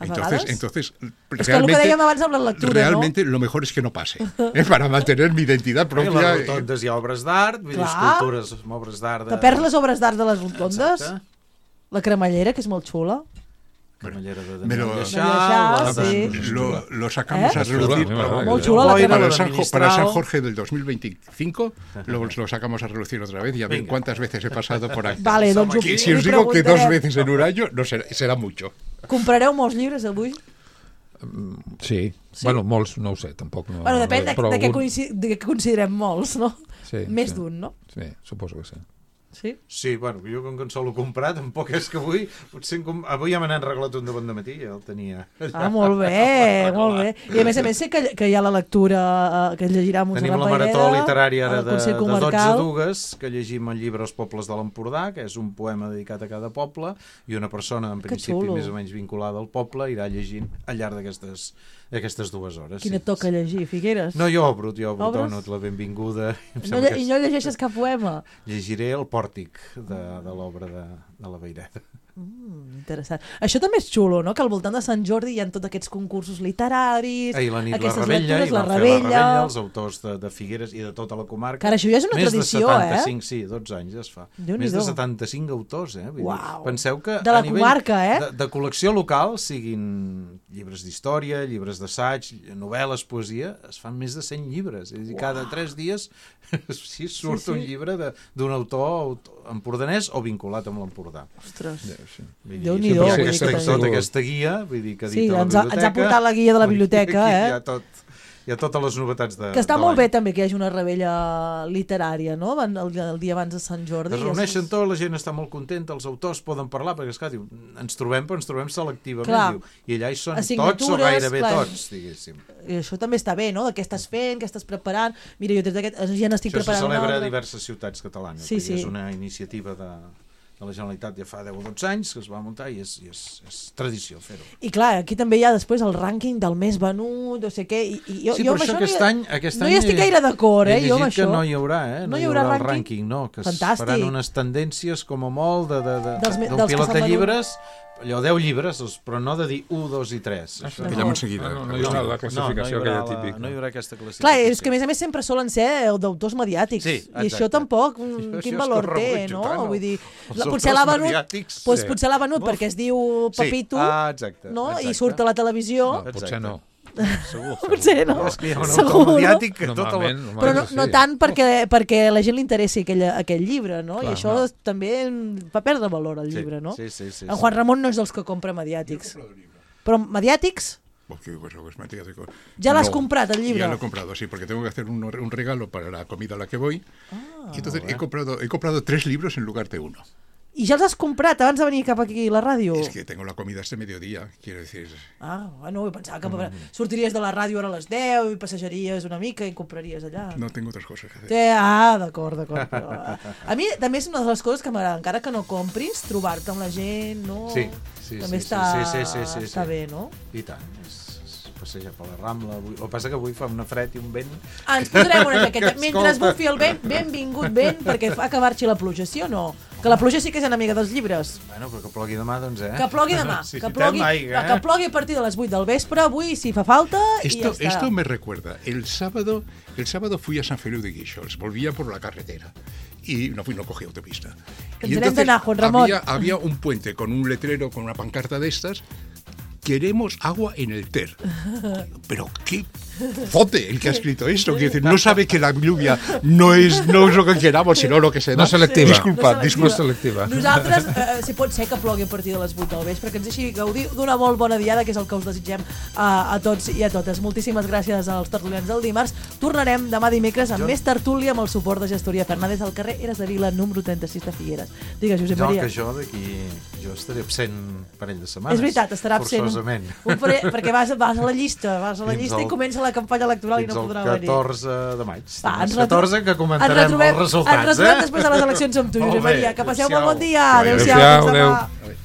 A Entonces, vegades. entonces És que el que dèiem abans amb la lectura, realmente lo mejor es que no pase. ¿eh? Para mantener mi identidad Perquè a propia. les rotondes hi ha obres d'art, vull dir, Clar. escultures amb obres d'art... no? De... Te perds les obres d'art de les rotondes? Exacte. La cremallera, que és molt xula. Camallera de Me Daniel lo- Lleixà, Lleixà, la- sí. Lo, lo sacamos ¿Eh? a relucir. Chula, para- Molt xula la para, crema. el San, Jo- para Ministral. San Jorge del dos mil veinticinco lo, lo sacamos a relucir otra vez. Ya ven Venga. cuántas veces he pasado por aquí. Vale, doncs ho, Que si li os digo que dos preguntarem. veces en un año, no será, será mucho. Comprareu molts llibres avui? Sí. Sí? Bueno, molts, no ho sé, tampoc no... Bueno, depèn de, però de, què algun- coinci- de què considerem molts, no? Sí, Més sí. d'un, no? Sí, suposo que sí. Sí? Sí, bueno, jo com que en solo comprar, tampoc és que avui... Potser en com... Avui ja me n'han arreglat un de bon dematí, ja el tenia. Ah, molt bé, molt bé. I a més a més sé que, que hi ha la lectura eh, que es llegirà a Montserrat Tenim la Paireda, marató literària ara al de, Consell de dotze Comarcal. dugues, que llegim el llibre Els pobles de l'Empordà, que és un poema dedicat a cada poble, i una persona, en Que principi, xulo. més o menys vinculada al poble, irà llegint al llarg d'aquestes d'aquestes dues hores. Quina sí. toca llegir, Figueres? No, jo obro, jo obro, Obres? dono la benvinguda. Em No, sembla lle- que I és- no llegeixes cap poema? Llegiré el pòrtic de, de l'obra de, de la Vaireda. Mm, interessant. Això també és xulo, no? Que al voltant de Sant Jordi hi ha tots aquests concursos literaris, Ahir la nit la aquestes Rebella, lectures, i la van fer la Rebella... Rebella, els autors de, de Figueres i de tota la comarca. Que ara això ja és una Més tradició, de setanta-cinc, eh? sí, dotze anys ja es fa. Déu-n'hi-do. Més de setanta-cinc autors, eh? Vull dir, Uau. penseu que De la a nivell comarca, eh? de, de col·lecció local, siguin llibres d'història, llibres d'assaig, novel·les, poesia, es fan més de cent llibres. És a dir, cada tres dies sí, surt Sí, sí. un llibre de- d'un autor aut- empordanès o vinculat amb l'Empordà. Ostres. Sí. Vull dir, Déu-n'hi-do, hi ha vull dir aquesta, que tota també. aquesta guia, vull dir, que Sí, edita la ens ha- ens ha biblioteca. portat la guia de la Vull dir, biblioteca, aquí eh? Hi ha, tot, hi ha totes les novetats de Que està de molt l'any. bé també que hi hagi una rebella literària, no? El, el, el dia abans de Sant Jordi. Es reuneixen tots, la gent està molt contenta, els autors poden parlar, perquè esclar, diu, ens trobem, però ens trobem selectivament, Clar. diu, i allà hi són tots o Assignatures, gairebé clar. tots, diguéssim. I això també està bé, no? De què estàs fent, què estàs preparant. Mira, jo des d'aquest... Ja n'estic Això se preparant celebra una a altra. diverses ciutats catalanes, Sí, perquè sí. és una iniciativa de, de la Generalitat ja fa deu o dotze anys que es va muntar i és, i és, és tradició fer-ho. I clar, aquí també hi ha després el rànquing del més venut, no sé què, i, i jo, Sí, jo però amb això no aquest hi, any... Aquest no any hi estic gaire d'acord, eh, he jo amb llegit que això. no hi haurà, eh? No hi haurà el rànquing? rànquing, no, que Fantàstic. es faran unes tendències com a molt de, de, de, Dels me- d'un dels que pilot s'han de venut. llibres, allò, deu llibres, els- però no de dir u, dos i tres. Això Que llaman seguida. No, no, no hi haurà la classificació no, no hi haurà aquella la- típica. No hi haurà aquesta classificació. Clar, és que a més a més sempre solen ser d'autors mediàtics. Sí, I això exacte. tampoc, Això- mm, això quin és valor que ho té, rebutjo no? tant, no? Vull dir, Els la, autors potser l'ha venut, mediàtics, doncs sí. potser l'ha venut Uf. perquè es diu Sí. Pepito, Ah, exacte, no? exacte. I surt a la televisió. No, potser no. Segur. Potser no. És que hi ha un Segur, autor no? mediàtic que tota la... Normalment, Però no, sí. no tant perquè, perquè a la gent li interessi aquell, aquell llibre, no? Clar, I això no. també fa perdre valor al Sí, llibre, no? sí, sí, sí, En sí. Juan Ramon no és dels que compra mediàtics. Però mediàtics? Porque, pues, pues, mediático. ¿Ya lo has No, comprado el libro? Ya lo he comprado, sí, porque tengo que hacer un, un regalo para la comida a la que voy. Ah, y entonces he comprado, he comprado tres libros en lugar de uno. I ja els has comprat abans de venir cap aquí a la ràdio? Es que tengo la comida este mediodía, quiero decir. Ah, bueno, jo pensava que sortiries de la ràdio ara a les deu i passejaries una mica i compraries allà. No tengo otras cosas que hacer. Té, ah, d'acord, d'acord. Però, a mi també és una de les coses que m'agrada, encara que no compris, trobar-te amb la gent, no? Sí, sí, també sí, està, sí, sí, sí, sí, sí. està bé, no? I tant, és, és passejar per la Rambla. Avui... El que passa que avui fa una fred i un vent... Ah, ens posarem una jaqueta. Mentre es Escolta. bufi el vent, benvingut vent, perquè fa que marxi la pluja, sí o no? Que la pluja sí que és enemiga dels llibres. Bueno, però que plogui demà, doncs, eh? Que plogui demà. Sí, que, plogui, aigua, eh? que plogui a partir de les vuit del vespre, avui, si fa falta, i ja Esto, està. esto me recuerda. El sábado, el sábado fui a San Feliu de Guíxols, volvía por la carretera y no fui, no cogí autopista. Ens n'hem d'anar, Juan Ramon. había, había un puente con un letrero, con una pancarta de estas, que queremos agua en el Ter. Pero qué fote el que ha escrito esto, quiere decir, no sabe que la lluvia no es, no es lo que queramos, sino lo que se da. No selectiva. Disculpa, no disculpa. selectiva. Nosaltres, eh, si pot ser que plogui a partir de les vuit del vespre, que ens deixi gaudir d'una molt bona diada, que és el que us desitgem a, a tots i a totes. Moltíssimes gràcies als tertulians del dimarts. Tornarem demà dimecres amb jo... més tertúlia amb el suport de Gestoria Fernández al carrer Eres de Vila, número trenta-sis de Figueres. Digues, Josep jo, Maria. Que jo d'aquí... Jo estaré absent un parell de setmanes. És veritat, estarà absent. Forçosament. Un, un parell, perquè vas, vas a la llista, vas a la Fins llista el, i comença la campanya electoral i no podrà venir. Fins el catorze de maig. Va, ens catorze que comentarem els resultats. Ens retrobem després de les eleccions amb tu, Josep Maria. Que passeu molt bon dia. Adéu-siau. Adéu-siau.